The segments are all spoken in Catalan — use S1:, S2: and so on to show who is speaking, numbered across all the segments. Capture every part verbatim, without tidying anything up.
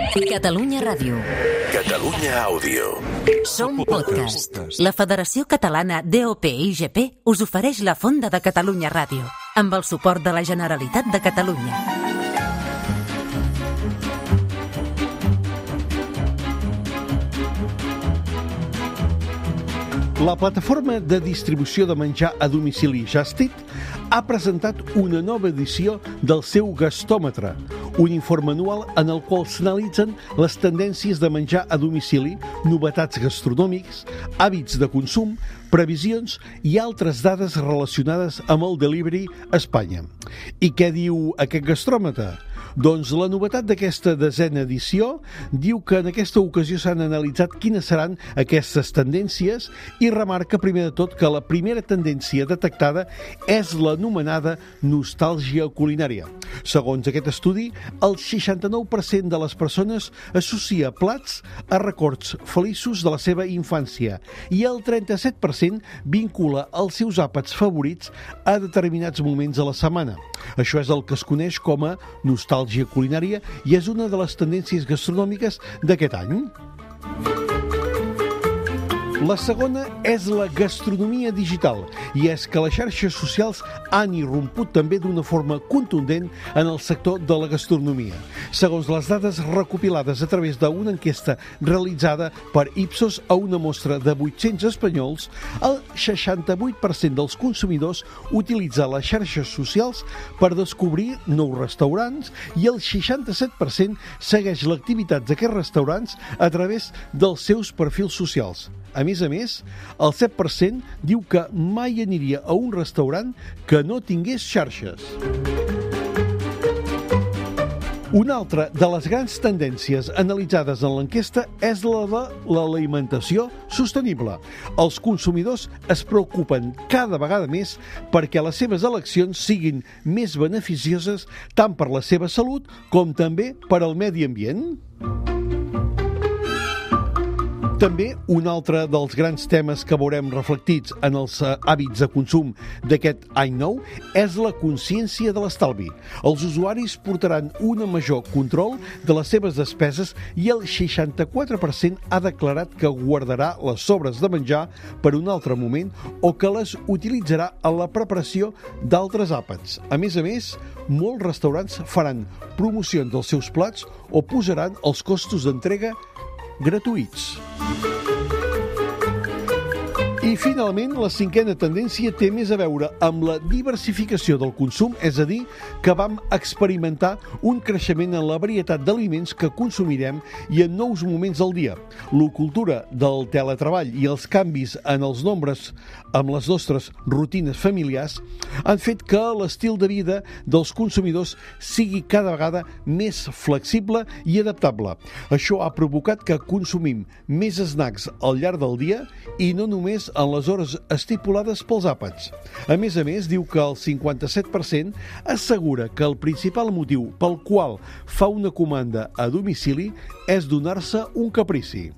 S1: Catalunya Ràdio.
S2: Catalunya Àudio.
S1: Som podcast. La Federació Catalana D O P I G P us ofereix la Fonda de Catalunya Ràdio, amb el suport de la Generalitat de Catalunya.
S3: La plataforma de distribució de menjar a domicili Just Eat ha presentat una nova edició del seu gastòmetre, un informe anual en el qual s'analitzen les tendències de menjar a domicili, novetats gastronòmics, hàbits de consum, previsions i altres dades relacionades amb el delivery a Espanya. I què diu aquest gastròmetre? Doncs la novetat d'aquesta desena edició diu que en aquesta ocasió s'han analitzat quines seran aquestes tendències i remarca primer de tot que la primera tendència detectada és l'anomenada nostàlgia culinària. Segons aquest estudi, el seixanta-nou per cent de les persones associa plats a records feliços de la seva infància i el trenta-set per cent vincula els seus àpats favorits a determinats moments de la setmana. Això és el que es coneix com a nostàlgia culinària i és una de les tendències gastronòmiques d'aquest any. La segona és la gastronomia digital, i és que les xarxes socials han irromput també d'una forma contundent en el sector de la gastronomia. Segons les dades recopilades a través d'una enquesta realitzada per Ipsos a una mostra de vuit-cents espanyols, el seixanta-vuit per cent dels consumidors utilitza les xarxes socials per descobrir nous restaurants i el seixanta-set per cent segueix l'activitat d'aquests restaurants a través dels seus perfils socials. A més a més, el set per cent diu que mai aniria a un restaurant que no tingués xarxes. Una altra de les grans tendències analitzades en l'enquesta és la de l'alimentació sostenible. Els consumidors es preocupen cada vegada més perquè les seves eleccions siguin més beneficioses tant per la seva salut com també per al medi ambient. També un altre dels grans temes que veurem reflectits en els hàbits de consum d'aquest any nou és la consciència de l'estalvi. Els usuaris portaran un major control de les seves despeses i el seixanta-quatre per cent ha declarat que guardarà les sobres de menjar per un altre moment o que les utilitzarà en la preparació d'altres àpats. A més a més, molts restaurants faran promocions dels seus plats o posaran els costos d'entrega gratuïts. I finalment, la cinquena tendència té més a veure amb la diversificació del consum, és a dir, que vam experimentar un creixement en la varietat d'aliments que consumirem i en nous moments del dia. L'ocultura del teletreball i els canvis en els nombres amb les nostres rutines familiars han fet que l'estil de vida dels consumidors sigui cada vegada més flexible i adaptable. Això ha provocat que consumim més snacks al llarg del dia i no només en les hores estipulades pels àpats. A més a més, diu que el cinquanta-set per cent assegura que el principal motiu pel qual fa una comanda a domicili és donar-se un caprici.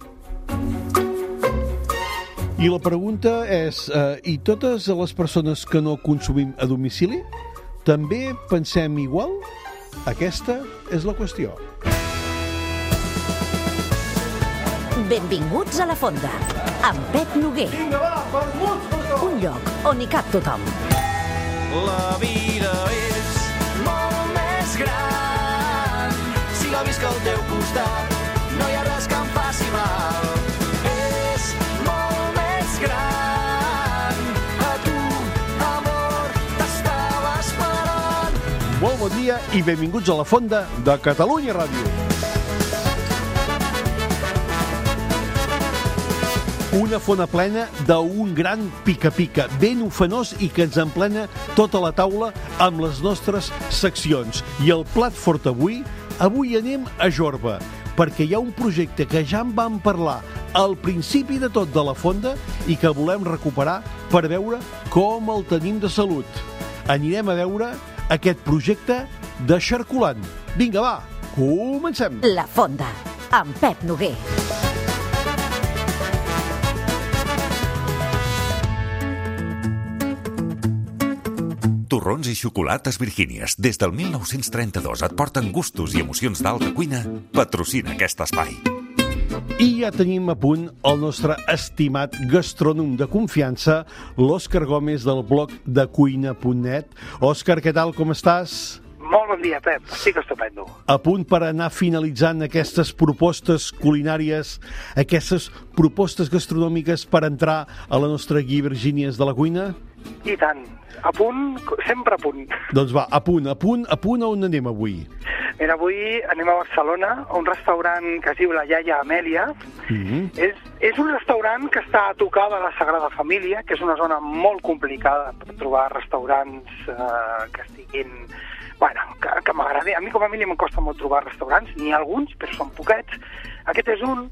S3: I la pregunta és, eh, i totes les persones que no consumim a domicili, també pensem igual? Aquesta és la qüestió.
S1: Benvinguts a la Fonda, amb Pep Noguer. Un lloc on hi cap tothom.
S4: La vida és molt més gran si la visc al teu costat. No hi ha res que em faci mal. És molt més gran. A tu, amor, t'estava esperant.
S3: Molt bon dia i benvinguts a la Fonda de Catalunya Ràdio. Una fona plena d'un gran pica-pica, ben ofenós i que ens emplena tota la taula amb les nostres seccions. I el plat fort avui, avui anem a Jorba, perquè hi ha un projecte que ja en vam parlar al principi de tot de la Fonda i que volem recuperar per veure com el tenim de salut. Anirem a veure aquest projecte de xarculant. Vinga, va, comencem!
S1: La Fonda, amb Pep Noguer.
S2: Torró
S5: torrons i xocolates Virgínies. Des del mil nou-cents trenta-dos et porten gustos i emocions d'alta cuina. Patrocina aquest espai.
S3: I ja tenim a punt el nostre estimat gastrònom de confiança, l'Òscar Gómez, del blog de cuina punt net. Òscar, què tal, com estàs?
S6: Molt bon dia, Pep. Estic estupendo.
S3: A punt per anar finalitzant aquestes propostes culinàries, aquestes propostes gastronòmiques per entrar a la nostra guia Virgínies de la cuina?
S6: I tant. A punt, sempre a punt.
S3: Doncs va, a punt, a punt, a punt, on anem avui?
S6: Mira, avui anem a Barcelona, a un restaurant que es diu La Iaia Amèlia. Mm-hmm. és, és un restaurant que està a tocar de la Sagrada Família, que és una zona molt complicada per trobar restaurants eh, que estiguin... Bueno, que, que m'agrada. A mi com a mínim em costa molt trobar restaurants, n'hi ha alguns, però són poquets. Aquest és un,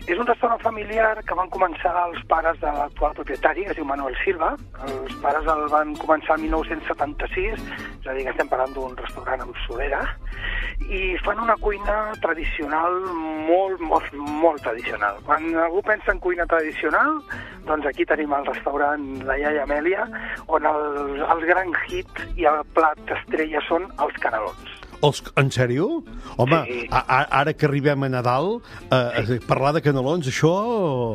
S6: és un restaurant familiar que van començar els pares de l'actual propietari, que es diu Manuel Silva. Els pares el van començar el mil nou-cents setanta-sis, és a dir, que estem parlant d'un restaurant amb solera, i fan una cuina tradicional molt, molt, molt tradicional. Quan algú pensa en cuina tradicional, doncs aquí tenim el restaurant La Iaia Amèlia, on el, el gran hit i el plat estrella són els canelons.
S3: Els, en sèrio? Home,
S6: sí.
S3: a, a, ara que arribem a Nadal, eh, sí. parlar de canelons, això,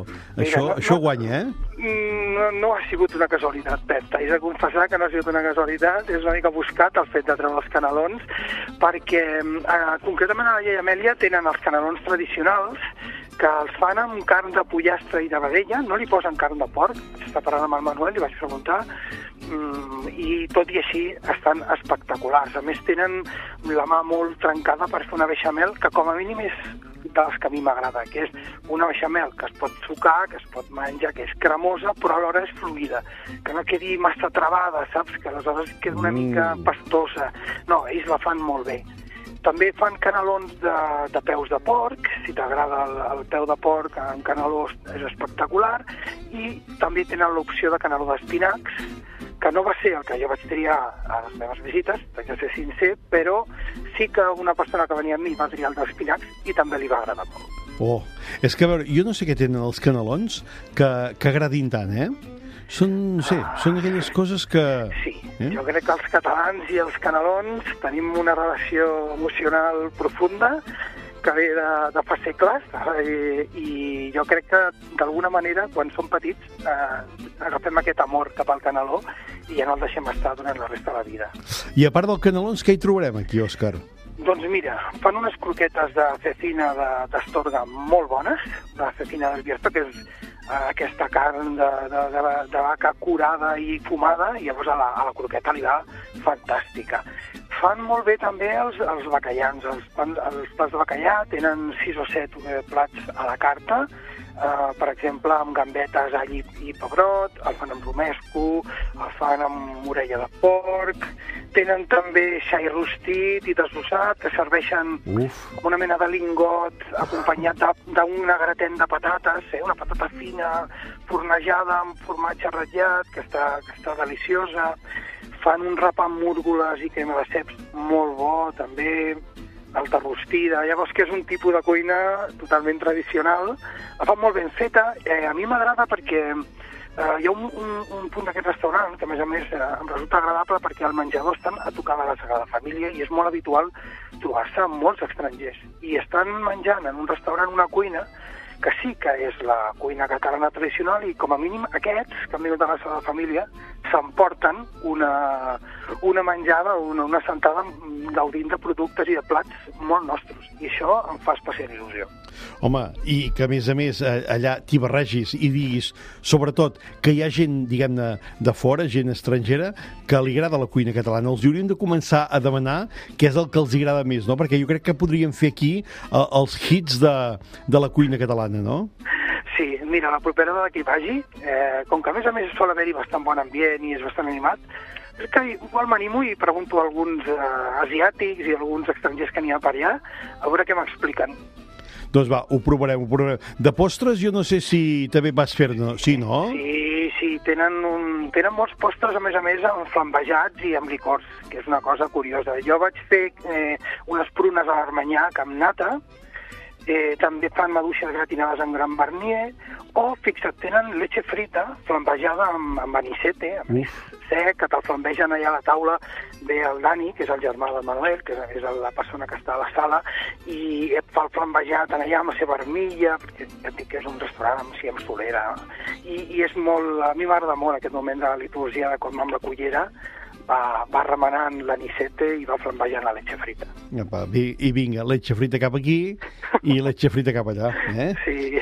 S6: Mira,
S3: això,
S6: no,
S3: això
S6: no,
S3: guanya, eh?
S6: No, no ha sigut una casualitat, Pep. T'haig de confessar que no ha sigut una casualitat. És una mica buscat el fet de treure els canelons, perquè eh, concretament a La Iaia Amèlia tenen els canelons tradicionals, que els fan amb carn de pollastre i de vedella, no li posen carn de porc. Està parlant amb el Manuel, li vaig preguntar, mm, i tot i així estan espectaculars. A més, tenen la mà molt trencada per fer una beixamel que com a mínim és de les que a mi m'agrada, que és una beixamel que es pot sucar, que es pot menjar, que és cremosa, però alhora és fluida, que no quedi massa travada, saps? Que aleshores queda una
S3: Mm.
S6: mica pastosa. No, ells la fan molt bé. També fan canelons de, de peus de porc, si t'agrada el, el peu de porc amb caneló és espectacular, i també tenen l'opció de caneló d'espinacs, que no va ser el que jo vaig triar a les meves visites, vaig ser sincer, però sí que una persona que venia amb mi va triar el d'espinacs i també li va agradar molt.
S3: Oh, és que a veure, jo no sé què tenen els canelons que, que agradin tant, eh? Són, no sé, són aquelles coses que...
S6: Sí, eh? Jo crec que els catalans i els canelons tenim una relació emocional profunda que ve de, de fa segles, eh? I jo crec que d'alguna manera quan som petits eh, agafem aquest amor cap al caneló i ja no el deixem estar durant la resta de la vida.
S3: I a part del canelons, què hi trobarem aquí, Òscar?
S6: Doncs mira, fan unes croquetes de cecina d'Astorga molt bones, de cecina d'Albierta, que és eh, aquesta carn de, de, de, de vaca curada i fumada, i llavors a la, a la croqueta li va fantàstica. Fan molt bé també els, els bacallans. Els, els plats de bacallà tenen sis o set eh, plats a la carta, Uh, per exemple, amb gambetes, all i, i pebrot, el fan amb romesco, el fan amb orella de porc, tenen també xai rostit i desossat, que serveixen
S3: Uf.
S6: com una mena de lingot acompanyat d'un gratent de patates, eh? Una patata fina, fornejada amb formatge ratllat, que està, que està deliciosa. Fan un rap amb múrgoles i crema de ceps molt bo, també, alta rostida. Llavors, que és un tipus de cuina totalment tradicional. La fan molt ben feta. Eh, a mi m'agrada perquè eh, hi ha un, un, un punt d'aquest restaurant que, a més a més, eh, em resulta agradable perquè el menjador estan a tocar de la Sagrada Família i és molt habitual trobar-se amb molts estrangers. I estan menjant en un restaurant una cuina que sí que és la cuina catalana tradicional i com a mínim aquests que han vingut de la Sagrada Família s'emporten una, una menjada, una, una sentada gaudint de productes i de plats molt nostres. I això em fa especial il·lusió.
S3: Home, i que a més a més allà t'hi barregis i diguis, sobretot, que hi ha gent, diguem-ne, de fora, gent estrangera, que li agrada la cuina catalana. Els hauríem de començar a demanar què és el que els agrada més, no? Perquè jo crec que podríem fer aquí eh, els hits de, de la cuina catalana, no?
S6: Sí, mira, la propera vegada que hi vagi, eh, com que a més a més sol haver-hi bastant bon ambient i és bastant animat, és que igual m'animo i pregunto a alguns eh, asiàtics i a alguns estrangers que n'hi ha per allà, a veure què m'expliquen.
S3: Doncs va, ho provarem, ho provarem. De postres jo no sé si també vas fer-ne, sí, no?
S6: Sí, sí, tenen, un, tenen molts postres, a més a més, amb flambejats i amb licors, que és una cosa curiosa. Jo vaig fer eh, unes prunes a l'Armanyac amb nata, Eh, també fan maduixes gratinades amb gran barnier, o, fixa't, tenen leche frita flambejada amb, amb anisete, amb anís sec, que te'l flambegen allà a la taula. Ve el Dani, que és el germà del Manuel, que és la persona que està a la sala, i et fa el flambejat allà amb la seva armilla, perquè ja et dic que és un restaurant amb, sí, amb solera, i, i és molt... A mi m'agrada molt aquest moment de la liturgia de com amb la cullera va, va remenant l'anisete i va flambejant la leche frita.
S3: Apa, i vinga, leche frita cap aquí i leche frita cap allà, eh?
S6: Sí,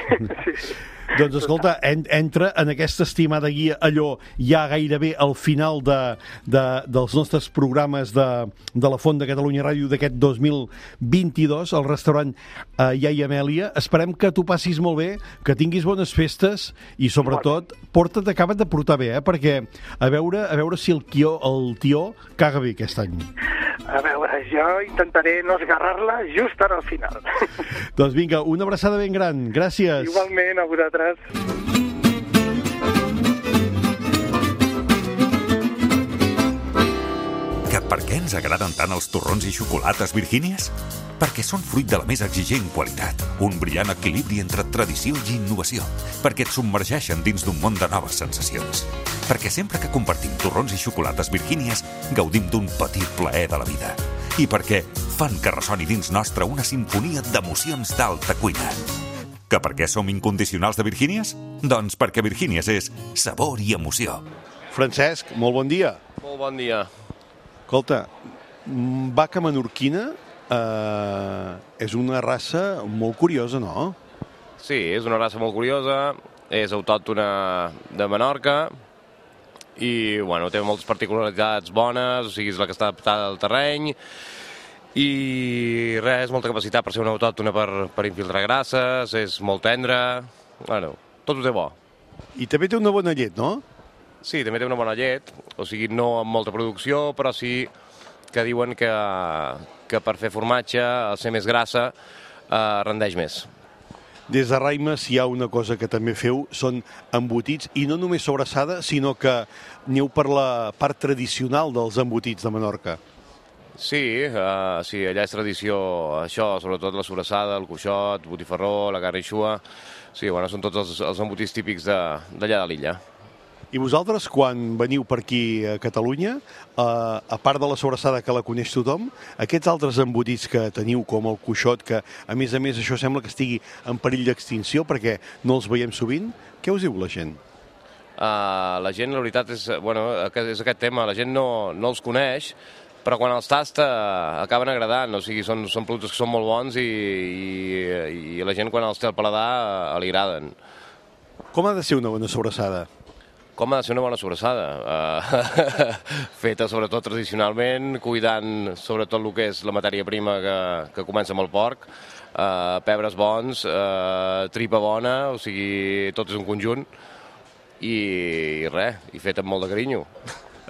S6: sí, sí.
S3: Doncs escolta, en, entra en aquesta estimada guia allò ja gairebé al final de, de, dels nostres programes de, de la Font de Catalunya Ràdio d'aquest dos mil vint-i-dos, al restaurant eh, Iaia Amèlia. Esperem que t'ho passis molt bé, que tinguis bones festes i sobretot porta't, acaba't de portar bé, eh? Perquè a veure, a veure si el, quió, el tió caga bé aquest any.
S6: A veure, jo intentaré no esgarrar-la just ara al final.
S3: Doncs vinga, una abraçada ben gran. Gràcies.
S6: Igualment, a vosaltres.
S5: Que per què ens agraden tant els torrons i xocolates Virgínies? Perquè són fruit de la més exigent qualitat, un brillant equilibri entre tradició i innovació, perquè et submergeixen dins d'un món de noves sensacions. Perquè sempre que compartim torrons i xocolates Virgínies gaudim d'un petit plaer de la vida. I perquè fan que ressoni dins nostre una sinfonia d'emocions d'alta cuina. Que per què som incondicionals de Virgínies? Doncs perquè Virgínies és sabor i emoció.
S3: Francesc, molt bon dia.
S7: Molt bon dia.
S3: Escolta, vaca menorquina eh, és una raça molt curiosa, no?
S7: Sí, és una raça molt curiosa, és autòctona de Menorca i, bueno, té moltes particularitats bones, o sigui, és la que està adaptada al terreny i res, molta capacitat per ser una autòctona per, per infiltrar grasses, és molt tendra, bueno, tot ho té bo.
S3: I també té una bona llet, no?
S7: Sí, també té una bona llet, o sigui, no amb molta producció, però sí que diuen que, que per fer formatge, al ser més grassa, eh, rendeix més.
S3: Des de Raimes hi ha una cosa que també feu, són embotits, i no només sobrassada, sinó que aneu per la part tradicional dels embotits de Menorca.
S7: Sí, uh, sí, allà és tradició això, sobretot la sobrassada, el coixot, botifarró, la garrixua. Sí, bueno, són tots els, els embotits típics d'allà de, de l'illa.
S3: I vosaltres, quan veniu per aquí a Catalunya, eh, a part de la sobrassada que la coneix tothom, aquests altres embotits que teniu, com el coixot, que a més a més això sembla que estigui en perill d'extinció perquè no els veiem sovint, què us diu la gent?
S7: Uh, la gent, la veritat, és, bueno, és aquest tema, la gent no, no els coneix, però quan els tasta acaben agradant, o sigui, són, són productes que són molt bons i, i, i la gent quan els té al paladar li agraden.
S3: Com ha de ser una bona sobrassada?
S7: Com ha de ser una bona sobrassada? Uh, feta sobretot tradicionalment, cuidant sobretot el que és la matèria prima que, que comença amb el porc, uh, pebres bons, uh, tripa bona, o sigui, tot és un conjunt, i, i res, i fet amb molt de carinyo.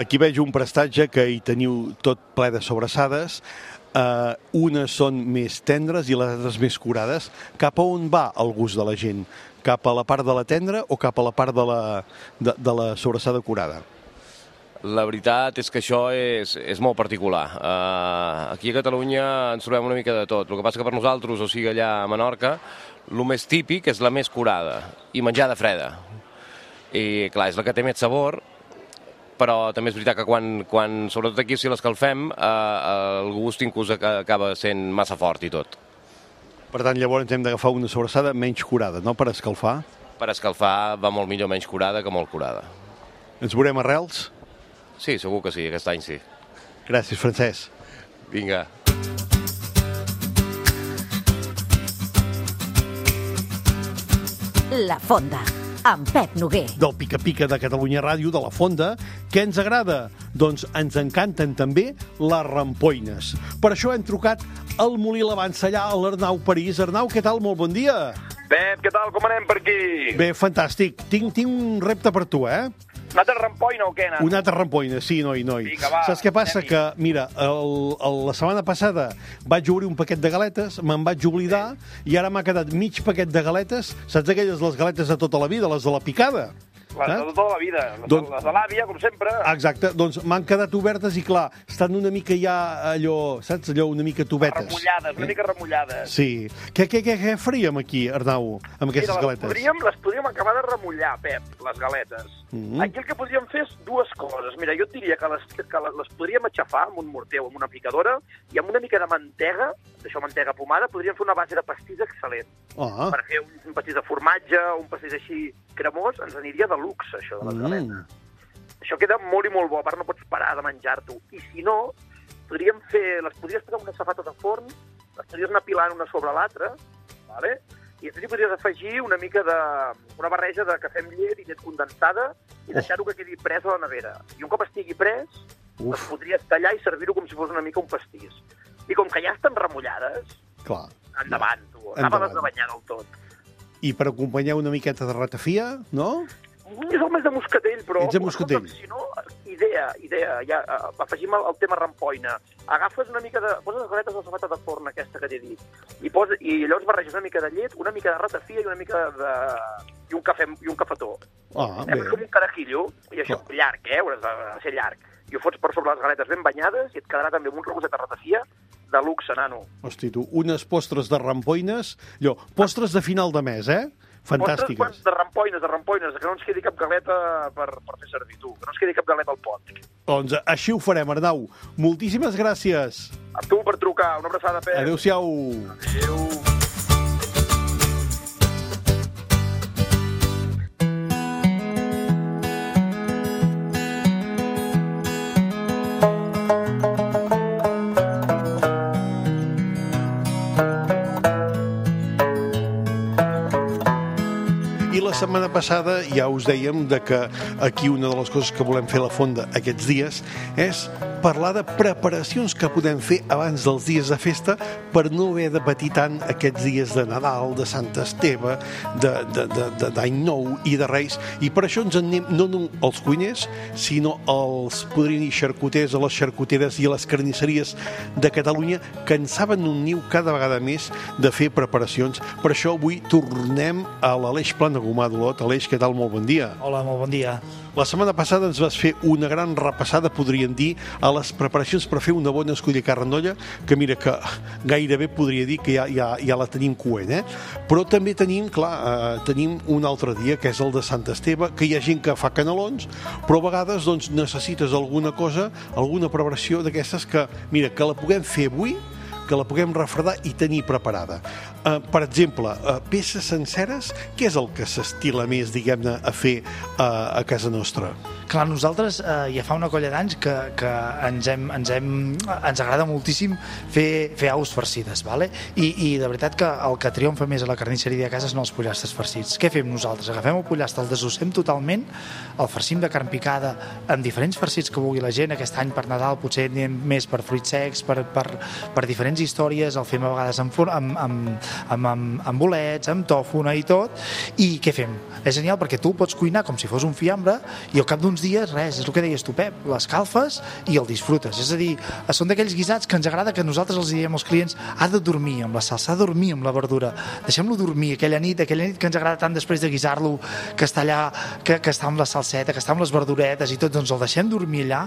S3: Aquí veig un prestatge que hi teniu tot ple de sobrassades. Uh, unes són més tendres i les altres més curades. Cap a on va el gust de la gent? Cap a la part de la tendra o cap a la part de la, de, de la sobrassada curada?
S7: La veritat és que això és, és molt particular. Uh, aquí a Catalunya ens trobem una mica de tot. El que passa que per nosaltres, o sigui allà a Menorca, el més típic és la més curada i menjada freda. I clar, és la que té més sabor, però també és veritat que quan, quan sobretot aquí si l'escalfem, eh, el gust inclús acaba sent massa fort i tot.
S3: Per tant, llavors hem d'agafar una sobrassada menys curada, no?, per escalfar?
S7: Per escalfar va molt millor menys curada que molt curada.
S3: Ens veurem a Reals?
S7: Sí, segur que sí, aquest any sí.
S3: Gràcies, Francesc.
S7: Vinga.
S1: La Fonda, amb Pep Noguer.
S3: Del Pica Pica de Catalunya Ràdio, de la Fonda. Què ens agrada? Doncs ens encanten també les rampoines. Per això hem trucat al Molí l'Avança, allà a l'Arnau París. Arnau, què tal? Molt bon dia.
S8: Pep, què tal? Com anem per aquí?
S3: Bé, fantàstic. Tinc, tinc un repte per tu, eh?
S8: Una altra rampoina o què, nano?
S3: Una altra rampoina, sí, noi, noi.
S8: Vinga, va,
S3: saps què passa? Que, mira, el, el, la setmana passada vaig obrir un paquet de galetes, me'n vaig oblidar, i ara m'ha quedat mig paquet de galetes. Saps aquelles, les galetes de tota la vida, les de la picada?
S8: Les de tota la vida, les,
S3: Doncs-
S8: les de l'àvia, com sempre.
S3: Exacte, doncs m'han quedat obertes i clar, estan una mica ja allò, saps, allò una mica tobetes.
S8: Remullades, una mica remullades.
S3: Sí. Què, què, què, què faríem aquí, Arnau, amb aquestes
S8: Mira, les
S3: galetes?
S8: podríem, les podríem acabar de remullar, Pep, les galetes.
S3: Mhm.
S8: Aquí el que podríem fer és dues coses. Mira, jo et diria que les, que les, les podríem aixafar amb un morter o amb una picadora i amb una mica de mantega, d'això mantega pomada, podríem fer una base de pastís excel·lent.
S3: Ah,
S8: Per fer un, un pastís de formatge, un pastís així cremós, ens aniria de luxe, això, de les galetes.
S3: mm.
S8: Això queda molt i molt bo, a part no pots parar de menjar-t'ho. I si no, podríem fer, les podries posar unes safates de forn, les podries anar pilant una sobre l'altra, vale? I després hi podries afegir una mica de... una barreja de cafè amb llet i llet condensada i deixar-ho que quedi pres a la nevera. I un cop estigui pres,
S3: Uf.
S8: les podries tallar i servir-ho com si fos una mica un pastís. I com que ja estan remullades,
S3: Clar.
S8: endavant, tu.
S3: Endavant.
S8: Anava-les de banyar del tot.
S3: I per acompanyar una miqueta de ratafia, no?
S8: És el mes de moscatell, però...
S3: Ets de moscatell.
S8: Si no, idea, idea, ja, uh, afegim el, el tema rampoina. Agafes una mica de... Poses les galetes a la safata de forn, aquesta que t'he dit, i, posa, i llavors barreges una mica de llet, una mica de ratafia i una mica de... i un cafè i un cafetó.
S3: Ah,
S8: Eh,
S3: bé.
S8: com un carajillo, i això,
S3: Clar.
S8: llarg, eh? Hauràs de, de ser llarg. I ho fots per sobre les galetes ben banyades i et quedarà també amb un regoset de ratafia de luxe, nano.
S3: Hosti, tu, unes postres de rampoines, allò, postres de final de mes, eh? Fantàstiques.
S8: Postres de rampoines, de rampoines, que no ens quedi cap galeta per, per fer servir, tu. Que no ens quedi cap galeta al pot.
S3: Doncs així ho farem, Arnau. Moltíssimes gràcies.
S8: A tu per trucar. Una abraçada, Pep.
S3: Adéu-siau.
S8: Adéu.
S3: I la setmana passada ja us dèiem de que aquí una de les coses que volem fer a la Fonda aquests dies és parlar de preparacions que podem fer abans dels dies de festa per no haver de patir tant aquests dies de Nadal, de Sant Esteve, de- de- de- de- d'Any Nou i de Reis. I per això ens en anem no només els cuiners, sinó els, podríem dir, xarcuters, a les xarcuteres i a les carnisseries de Catalunya que en saben un niu cada vegada més de fer preparacions. Per això avui tornem a l'Aleix Plana Gomà d'Olot. Aleix, què tal? Molt bon dia.
S9: Hola, molt bon dia.
S3: La setmana passada ens vas fer una gran repassada, podríem dir, a les preparacions per fer una bona esculla carn d'olla, que mira que gairebé podria dir que ja, ja, ja la tenim coent, eh? Però també tenim, clar, eh, tenim un altre dia, que és el de Sant Esteve, que hi ha gent que fa canelons, però a vegades doncs, necessites alguna cosa, alguna preparació d'aquestes que, mira, que la puguem fer avui, que la puguem refredar i tenir preparada. Uh, per exemple, uh, peces senceres, què és el que s'estila més, diguem-ne, a fer uh, a casa nostra?
S9: Clar, nosaltres eh, ja fa una colla d'anys que, que ens, hem, ens, hem, ens agrada moltíssim fer, fer aus farcides, vale? I, i de veritat que el que triomfa més a la carnisseria de casa són els pollastres farcits. Què fem nosaltres? Agafem el pollastre, el desossem totalment, el farcim de carn picada amb diferents farcits que vulgui la gent. Aquest any per Nadal potser anem més per fruits secs, per, per, per diferents històries, el fem a vegades amb, for- amb, amb, amb, amb, amb bolets, amb tòfona i tot. I què fem? És genial perquè tu el pots cuinar com si fos un fiambre i al cap d'uns dies, res, és el que deies tu, Pep, l'escalfes i el disfrutes. És a dir, són d'aquells guisats que ens agrada que nosaltres els diem als clients, ha de dormir amb la salsa, ha de dormir amb la verdura, deixem-lo dormir aquella nit, aquella nit que ens agrada tant després de guisar-lo, que està allà, que, que està amb la salseta, que està amb les verduretes i tot, doncs el deixem dormir allà,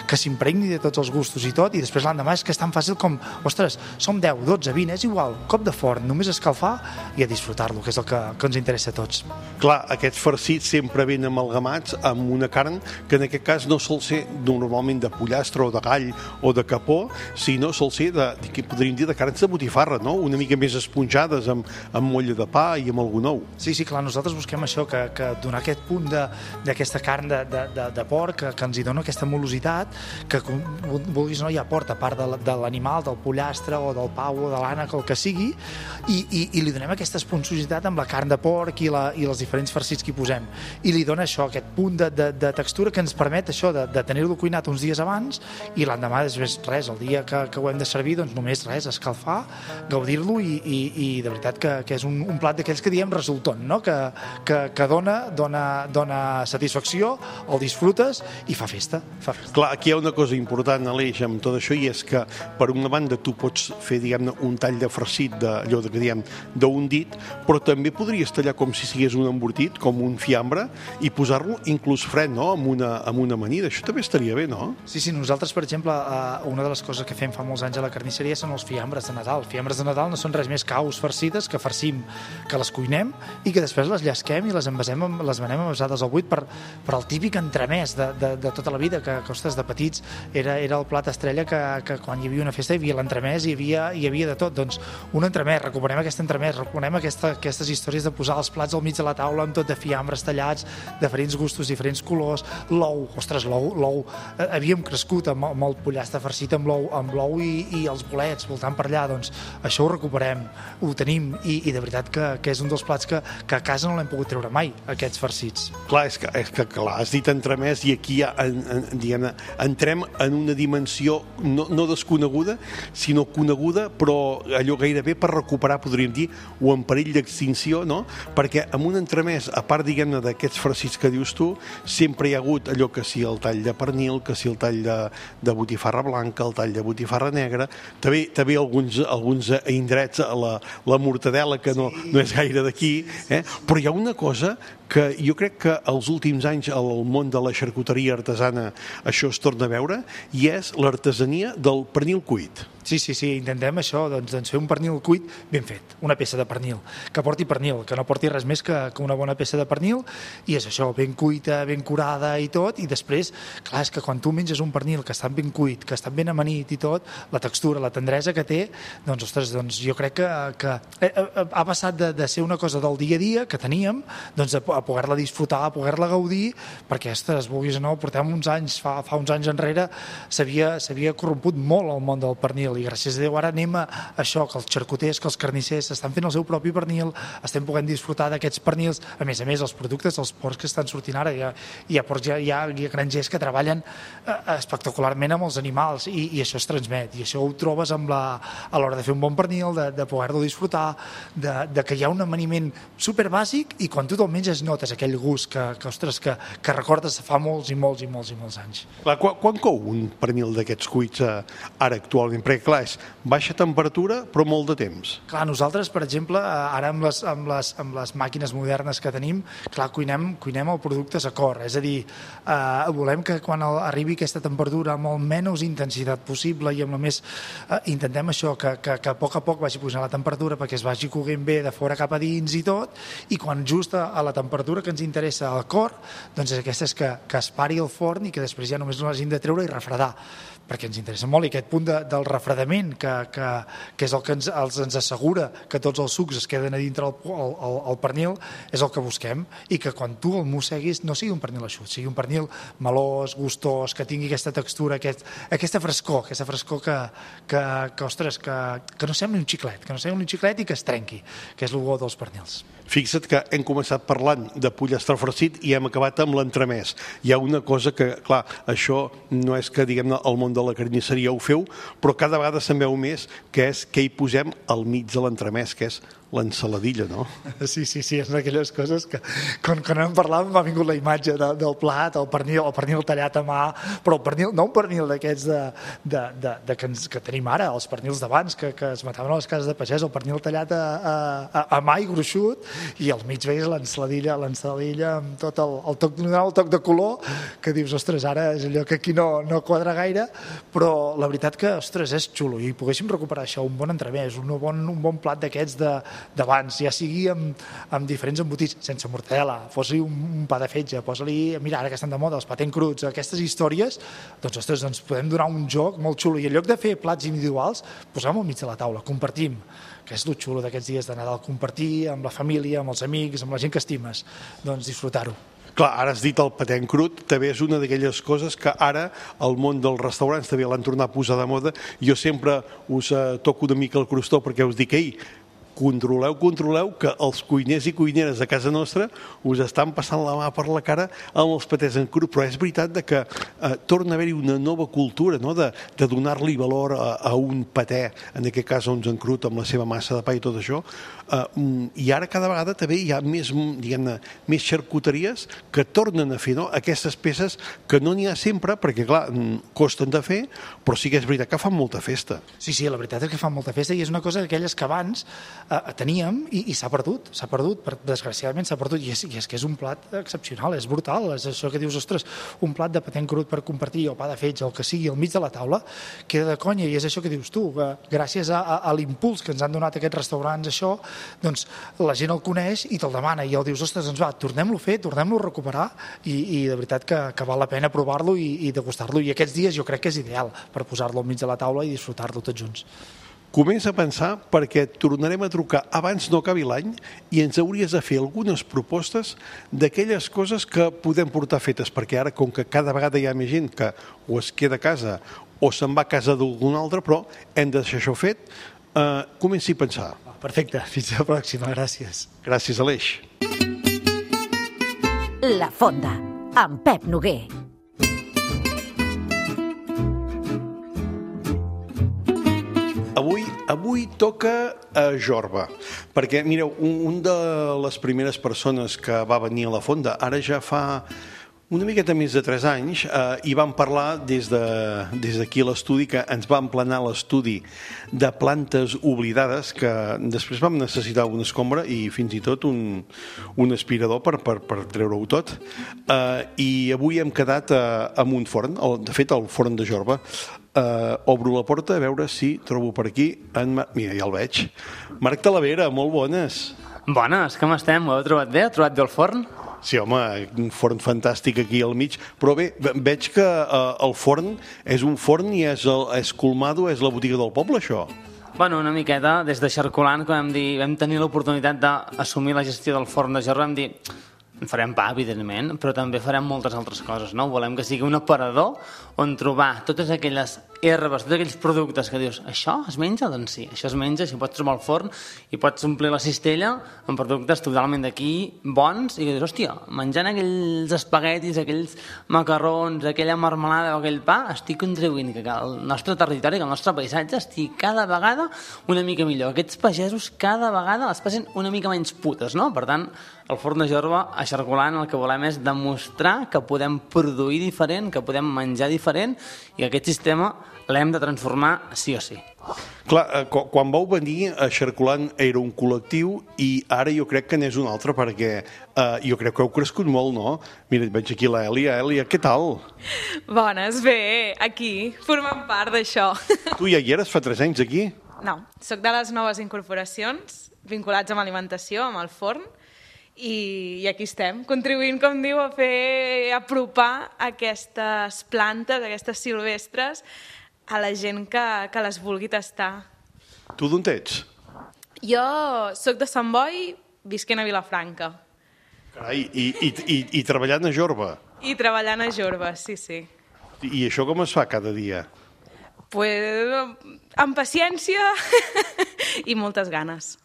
S9: que s'impregni de tots els gustos i tot, i després l'endemà és que és tan fàcil com, ostres, som deu, dotze, vint, és igual, cop de forn, només escalfar i a disfrutar-lo, que és el que, que ens interessa a tots.
S3: Clar, aquests farcits sempre ben amalgamats amb una carn que en aquest cas no sol ser normalment de pollastre o de gall o de capó, sinó sol ser de, de que podríem dir, de carns de botifarra, no? Una mica més esponjades amb, amb molla de pa i amb algun ou.
S9: Sí, sí, clar, nosaltres busquem això, que, que donar aquest punt de- d'aquesta carn de, de, de, de porc, que, que ens hi dona aquesta molositat, que com vulguis o no hi aporta, a part de, la- de l'animal, del pollastre o del pau o de l'ànec, el que sigui, i, i, i li donem aquesta esponjositat amb la carn de porc i, la, i els diferents farcits que hi posem. I li dona això, aquest punt de, de, de textura que ens permet això de, de tenir-lo cuinat uns dies abans i l'endemà després res, el dia que, que ho hem de servir doncs només res, escalfar, gaudir-lo i, i, i de veritat que, que és un, un plat d'aquells que diem resultant, no? que, que, que dona, dona, dona satisfacció, el disfrutes i fa festa, fa festa.
S3: Clar, aquí hi ha una cosa important, Aleix, amb tot això, i és que, per una banda, tu pots pots fer, diguem-ne, un tall de farcit d'allò que diem d'un dit, però també podries tallar com si sigués un embortit, com un fiambre, i posar-lo inclús fred, no?, amb una, amb una amanida. Això també estaria bé, no?
S9: Sí, sí, nosaltres, per exemple, eh, una de les coses que fem fa molts anys a la carnisseria són els fiambres de Nadal. Fiambres de Nadal no són res més que aus farcides que farcim, que les cuinem i que després les llesquem i les envasem, les venem envasades al buit per, per el típic entremès de, de, de tota la vida, que, que ostres, de petits era, era el plat estrella que, que quan hi havia una festa hi havia l'entremès i hi havia, hi havia de tot. Doncs un entremès, recuperem aquest entremès, recuperem aquesta, aquestes històries de posar els plats al mig de la taula amb tot de fiambres tallats, de diferents gustos, diferents colors, l'ou, ostres, l'ou, l'ou, eh, havíem crescut amb, amb el pollastre farcit amb l'ou, amb l'ou i, i els bolets voltant per allà, doncs això ho recuperem, ho tenim i, i de veritat que, que és un dels plats que, que a casa no l'hem pogut treure mai, aquests farcits.
S3: Clar, és que, és que clar, has dit entremès i aquí ja en, en, diguem, entrem en una dimensió no, no desconeguda, sinó coneguda, però allò gairebé per recuperar, podríem dir, o en perill d'extinció, no? Perquè amb un entremès, a part, diguem-ne, d'aquests farcits que dius tu, sempre hi ha hagut allò que si el tall de pernil, que si el tall de, de botifarra blanca, el tall de botifarra negra, també, també alguns, alguns indrets, la, la mortadela, que no, no és gaire d'aquí, eh? Però hi ha una cosa que jo crec que els últims anys al món de la xarcuteria artesana això es torna a veure, i és l'artesania del pernil cuit.
S9: Sí, sí, sí, intentem això, doncs, doncs fer un pernil cuit ben fet, una peça de pernil, que porti pernil, que no porti res més que, que una bona peça de pernil, i és això, ben cuita, ben curada i tot, i després, clar, és que quan tu menges un pernil que està ben cuit, que està ben amanit i tot, la textura, la tendresa que té, doncs, ostres, doncs jo crec que, que ha passat de, de ser una cosa del dia a dia que teníem, doncs a, a poder-la disfrutar, a poder-la gaudir, perquè, ostres, vulguis o no, portem uns anys, fa, fa uns anys enrere, s'havia corromput molt el món del pernil, i gràcies a Déu ara anem a això, que els xarcuters, que els carnissers estan fent el seu propi pernil, estem podent disfrutar d'aquests pernils, a més a més els productes dels porcs que estan sortint ara, hi ha, hi ha, porcs, hi ha, hi ha, hi ha grangers que treballen eh, espectacularment amb els animals i, i això es transmet, i això ho trobes amb la, a l'hora de fer un bon pernil, de, de poder-lo disfrutar, de, de que hi ha un amaniment superbàsic i quan tu te'l menges notes aquell gust que, que, ostres, que, que recordes fa molts i molts i molts i molts anys.
S3: Clar, quan, quan cou un pernil d'aquests cuits eh, ara actualment? Perquè clar, és baixa temperatura però molt de temps.
S9: Clar, nosaltres, per exemple, ara amb les, amb les, amb les màquines modernes que tenim, clar, cuinem, cuinem el producte a cor, és a dir, eh, volem que quan arribi aquesta temperatura amb el menys intensitat possible i amb la més... Eh, intentem això, que, que, que a poc a poc vagi pujant la temperatura perquè es vagi coguent bé de fora cap a dins i tot, i quan just a, a la temperatura que ens interessa al cor, doncs aquesta és que, que es pari el forn i que després ja només l'hagin de treure i refredar, perquè ens interessa molt, i aquest punt de, del refredament, que, que, que és el que ens, els, ens assegura que tots els sucs es queden a dintre el, el, el, el pernil, és el que busquem, i que quan tu el mosseguis no sigui un pernil eixut, sigui un pernil melós, gustós, que tingui aquesta textura, aquest, aquesta frescor, aquesta frescor que, que, que ostres, que, que no sembli un xiclet, que no sembli un xiclet i que es trenqui, que és el bo dels pernils.
S3: Fixa't que hem començat parlant de pollastre farcit i hem acabat amb l'entremès. Hi ha una cosa que, clar, això no és que, diguem-ne, el món de la carnisseria ho feu, però cada vegada se'n veu més, que és què hi posem al mig de l'entremès, que és l'ensaladilla, no?
S9: Sí, sí, sí, és d'aquelles coses que quan, quan hem parlat m'ha vingut la imatge de, del plat, el pernil, el pernil tallat a mà, però el pernil, no un pernil d'aquests de, de, de, de que, ens, que tenim ara, els pernils d'abans que, que es mataven a les cases de pagès, el pernil tallat a, a, a mà i gruixut, i al mig veus l'ensaladilla, l'ensaladilla amb tot el, el toc, el toc de color, que dius, ostres, ara és allò que aquí no, no quadra gaire, però la veritat que, ostres, és xulo, i poguéssim recuperar això, un bon entremès, un bon, un bon plat d'aquests de d'abans, ja sigui amb, amb diferents embotits, sense mortadela, fos-li un, un pa de fetge, posa-li, mira, ara que estan de moda, els patent cruts, aquestes històries, doncs, ostres, doncs podem donar un joc molt xulo, i en lloc de fer plats individuals, posem-ho al mig de la taula, compartim, que és el xulo d'aquests dies de Nadal, compartir amb la família, amb els amics, amb la gent que estimes, doncs disfrutar-ho.
S3: Clar, ara has dit el patent crut, també és una d'aquelles coses que ara el món dels restaurants també l'han tornat a posar de moda. Jo sempre us eh, toco una mica el crostó perquè us dic, ei, controleu, controleu, que els cuiners i cuineres de casa nostra us estan passant la mà per la cara amb els patès en cru, però és veritat de que eh, torna a haver-hi una nova cultura, no? de, de donar-li valor a, a un patè, en aquest cas uns en crut amb la seva massa de pa i tot això, eh, i ara cada vegada també hi ha més, diguem-ne, més xarcuteries que tornen a fer, no? Aquestes peces que no n'hi ha sempre, perquè clar, costen de fer, però sí que és veritat que fan molta festa.
S9: Sí, sí, la veritat és que fan molta festa i és una cosa d'aquelles que abans eh, teníem i, i s'ha perdut, s'ha perdut, per, desgraciadament s'ha perdut, i és, i és que és un plat excepcional, és brutal, és això que dius, ostres, un plat de patè en crut per compartir, o pa de fetge, el que sigui, al mig de la taula, queda de conya, i és això que dius tu, que gràcies a, a, a l'impuls que ens han donat aquests restaurants, això, doncs la gent el coneix i te'l demana, i el dius, ostres, doncs va, tornem-lo a fer, tornem-lo a recuperar, i, i de veritat que, que val la pena provar-lo i, i degustar-lo, i aquests dies jo crec que és ideal per posar-lo al mig de la taula i disfrutar-lo tots junts.
S3: Comença a pensar perquè tornarem a trucar abans no acabi l'any i ens hauries de fer algunes propostes d'aquelles coses que podem portar fetes, perquè ara, com que cada vegada hi ha més gent que o es queda a casa o se'n va a casa d'algun altre, però hem de deixar això fet, eh, comenci a pensar.
S9: Perfecte, fins la pròxima, gràcies.
S3: Gràcies, Aleix.
S1: La Fonda, amb Pep Noguer.
S3: Avui, avui toca a Jorba, perquè, mireu, un, un de les primeres persones que va venir a la Fonda, ara ja fa una miqueta més de tres anys, eh, i vam parlar des de, des d'aquí a l'estudi, que ens va emplenar l'estudi de plantes oblidades, que després vam necessitar una escombra i fins i tot un, un aspirador per, per, per treure-ho tot. Eh, I avui hem quedat eh, amb un forn, el, de fet el forn de Jorba. Uh, obro la porta a veure si trobo per aquí en Mar... Mira, ja el veig. Marc Talavera, molt bones.
S10: Bones, com estem? Ho heu trobat bé? Heu trobat bé el forn?
S3: Sí, home, un forn fantàstic aquí al mig, però bé, veig que uh, el forn és un forn i és, el, és Colmado, és la botiga del poble, això.
S10: Bueno, una miqueta, des de Xarcolant, quan vam, dir, vam tenir l'oportunitat d'assumir la gestió del forn de Jorba, vam dir... Farem pa, evidentment, però també farem moltes altres coses, no? Volem que sigui un aparador on trobar totes aquelles herbes, tots aquells productes que dius, això es menja? Doncs sí, això es menja, si pots trobar al forn i pots omplir la cistella amb productes totalment d'aquí, bons, i que dius, hòstia, menjant aquells espaguetis, aquells macarrons, aquella marmelada o aquell pa, estic contribuint que el nostre territori, que el nostre paisatge estigui cada vegada una mica millor. Aquests pagesos cada vegada les passen una mica menys putes, no? Per tant, el forn de Jorba a Xarcolant el que volem és demostrar que podem produir diferent, que podem menjar diferent i que aquest sistema l'hem de transformar sí o sí.
S3: Clar, quan vau venir a Xarcolant era un col·lectiu i ara jo crec que n'és un altre perquè eh, jo crec que heu crescut molt, no? Mira, veig aquí l'Èlia. Èlia, què tal?
S11: Bones, bé, aquí, formant part d'això.
S3: Tu ja hi eres fa tres anys aquí?
S11: No, sóc de les noves incorporacions vinculats amb alimentació, amb el forn, I, i aquí estem, contribuint, com diu, a fer apropar aquestes plantes, aquestes silvestres, a la gent que, que les vulgui tastar.
S3: Tu d'on ets?
S11: Jo sóc de Sant Boi, visquent a Vilafranca.
S3: Carai, i, i, i, i treballant a Jorba?
S11: I treballant a Jorba, sí, sí.
S3: I això com es fa cada dia?
S11: Pues, amb paciència i moltes ganes.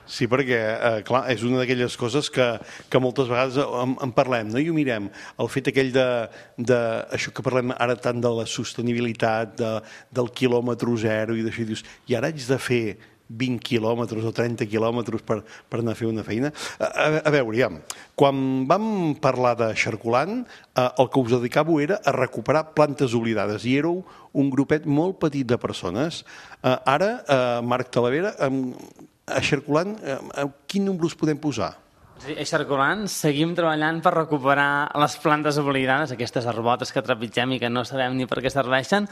S3: Sí, perquè, eh, clar, és una d'aquelles coses que, que moltes vegades en, en parlem, no? I ho mirem, el fet aquell de, de això que parlem ara tant de la sostenibilitat, de, del quilòmetre zero i d'això, i dius, i ara haig de fer vint quilòmetres o trenta quilòmetres per, per anar a fer una feina. A, a, a veure, ja, quan vam parlar de Xarcolant, eh, el que us dedicàveu era a recuperar plantes oblidades i éreu un grupet molt petit de persones. Eh, ara, eh, Marc Talavera, eh, a Xarcolant, eh, quin nombre us podem posar?
S10: Sí, a Xarcolant seguim treballant per recuperar les plantes oblidades, aquestes arbotes que trepitgem i que no sabem ni per què serveixen,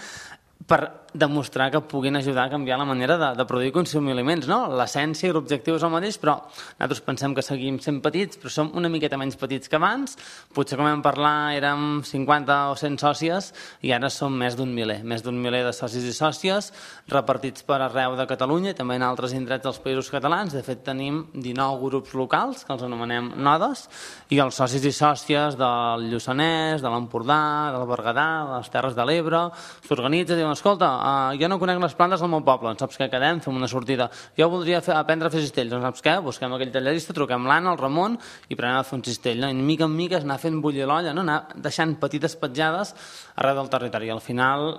S10: per demostrar que puguin ajudar a canviar la manera de, de produir i consumir aliments, no? L'essència i l'objectiu és el mateix, però nosaltres pensem que seguim sent petits, però som una miqueta menys petits que abans. Potser, com vam parlar, érem cinquanta o cent sòcies i ara som més d'un miler, més d'un miler de socis i sòcies repartits per arreu de Catalunya i també en altres indrets dels països catalans. De fet, tenim dinou grups locals, que els anomenem nodes, i els socis i sòcies del Lluçanès, de l'Empordà, del Berguedà, de les Terres de l'Ebre, s'organitzen i diuen, escolta, uh, jo no conec les plantes del meu poble, doncs saps què, quedem, fem una sortida. Jo voldria fer, aprendre a fer cistells, doncs saps què, busquem aquell tallerista, truquem l'Anna, el Ramon, i prenem a fer un cistell. No? I mica en mica anar fent bullir l'olla, no? Anar deixant petites petjades arreu del territori. I al final,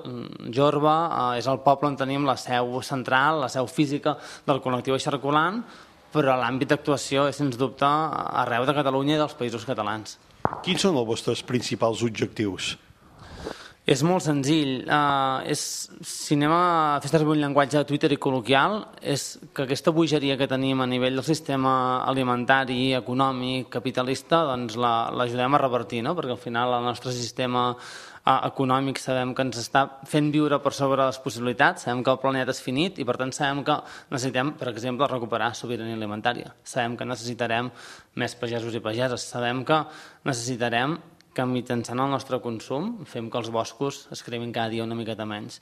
S10: Jorba uh, és el poble on tenim la seu central, la seu física del col·lectiu Eixarcolant, però l'àmbit d'actuació és, sens dubte, arreu de Catalunya i dels països catalans.
S3: Quins són els vostres principals objectius?
S10: És molt senzill. Uh, és, si anem a fer servir un llenguatge de Twitter i col·loquial, és que aquesta bogeria que tenim a nivell del sistema alimentari, econòmic, capitalista, doncs l'ajudem la, a revertir, no? Perquè al final el nostre sistema uh, econòmic sabem que ens està fent viure per sobre les possibilitats, sabem que el planeta és finit i per tant sabem que necessitem, per exemple, recuperar sobirania alimentària. Sabem que necessitarem més pagesos i pageses. Sabem que necessitarem que mitjançant el nostre consum fem que els boscos es cremin cada dia una miqueta menys.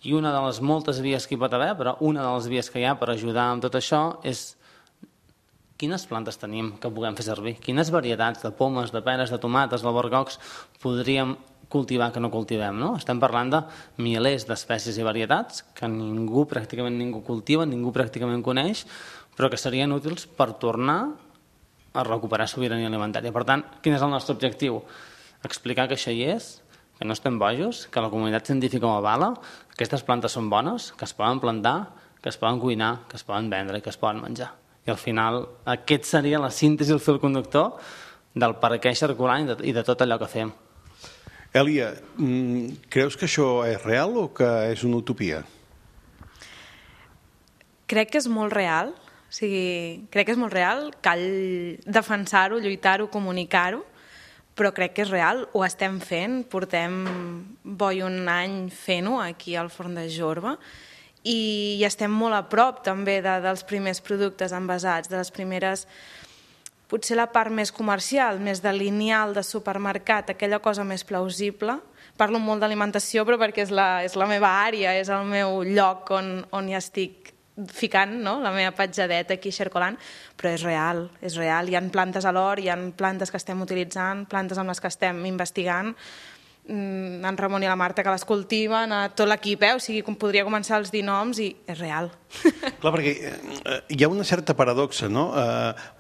S10: I una de les moltes vies que hi pot haver, però una de les vies que hi ha per ajudar amb tot això és quines plantes tenim que puguem fer servir, quines varietats de pomes, de peres, de tomates, d'albercocs podríem cultivar que no cultivem, no? Estem parlant de milers d'espècies i varietats que ningú, pràcticament ningú cultiva, ningú pràcticament coneix, però que serien útils per tornar a recuperar sobirania alimentària. Per tant, quin és el nostre objectiu? Explicar que això hi és, que no estem bojos, que la comunitat científica ho avala, que aquestes plantes són bones, que es poden plantar, que es poden cuinar, que es poden vendre i que es poden menjar. I al final aquest seria la síntesi, el fil conductor del per què Eixarcolant i de tot allò que fem.
S3: Èlia, creus que això és real o que és una utopia?
S11: Crec que és molt real, o sigui, crec que és molt real, cal defensar-ho, lluitar-ho, comunicar-ho, però crec que és real, ho estem fent, portem boi un any fent-ho aquí al Forn de Jorba i estem molt a prop també de, dels primers productes envasats, de les primeres, potser la part més comercial, més de lineal de supermercat, aquella cosa més plausible. Parlo molt d'alimentació però perquè és la, és la meva àrea, és el meu lloc on, on hi estic ficant, no? La meva petjadeta aquí a Eixarcolant, però és real, és real. Hi ha plantes a l'hort, hi ha plantes que estem utilitzant, plantes amb les que estem investigant, en Ramon i la Marta que les cultiven, tot l'equip, eh? O sigui, podria començar els dir noms i és real.
S3: Clar, perquè hi ha una certa paradoxa, no?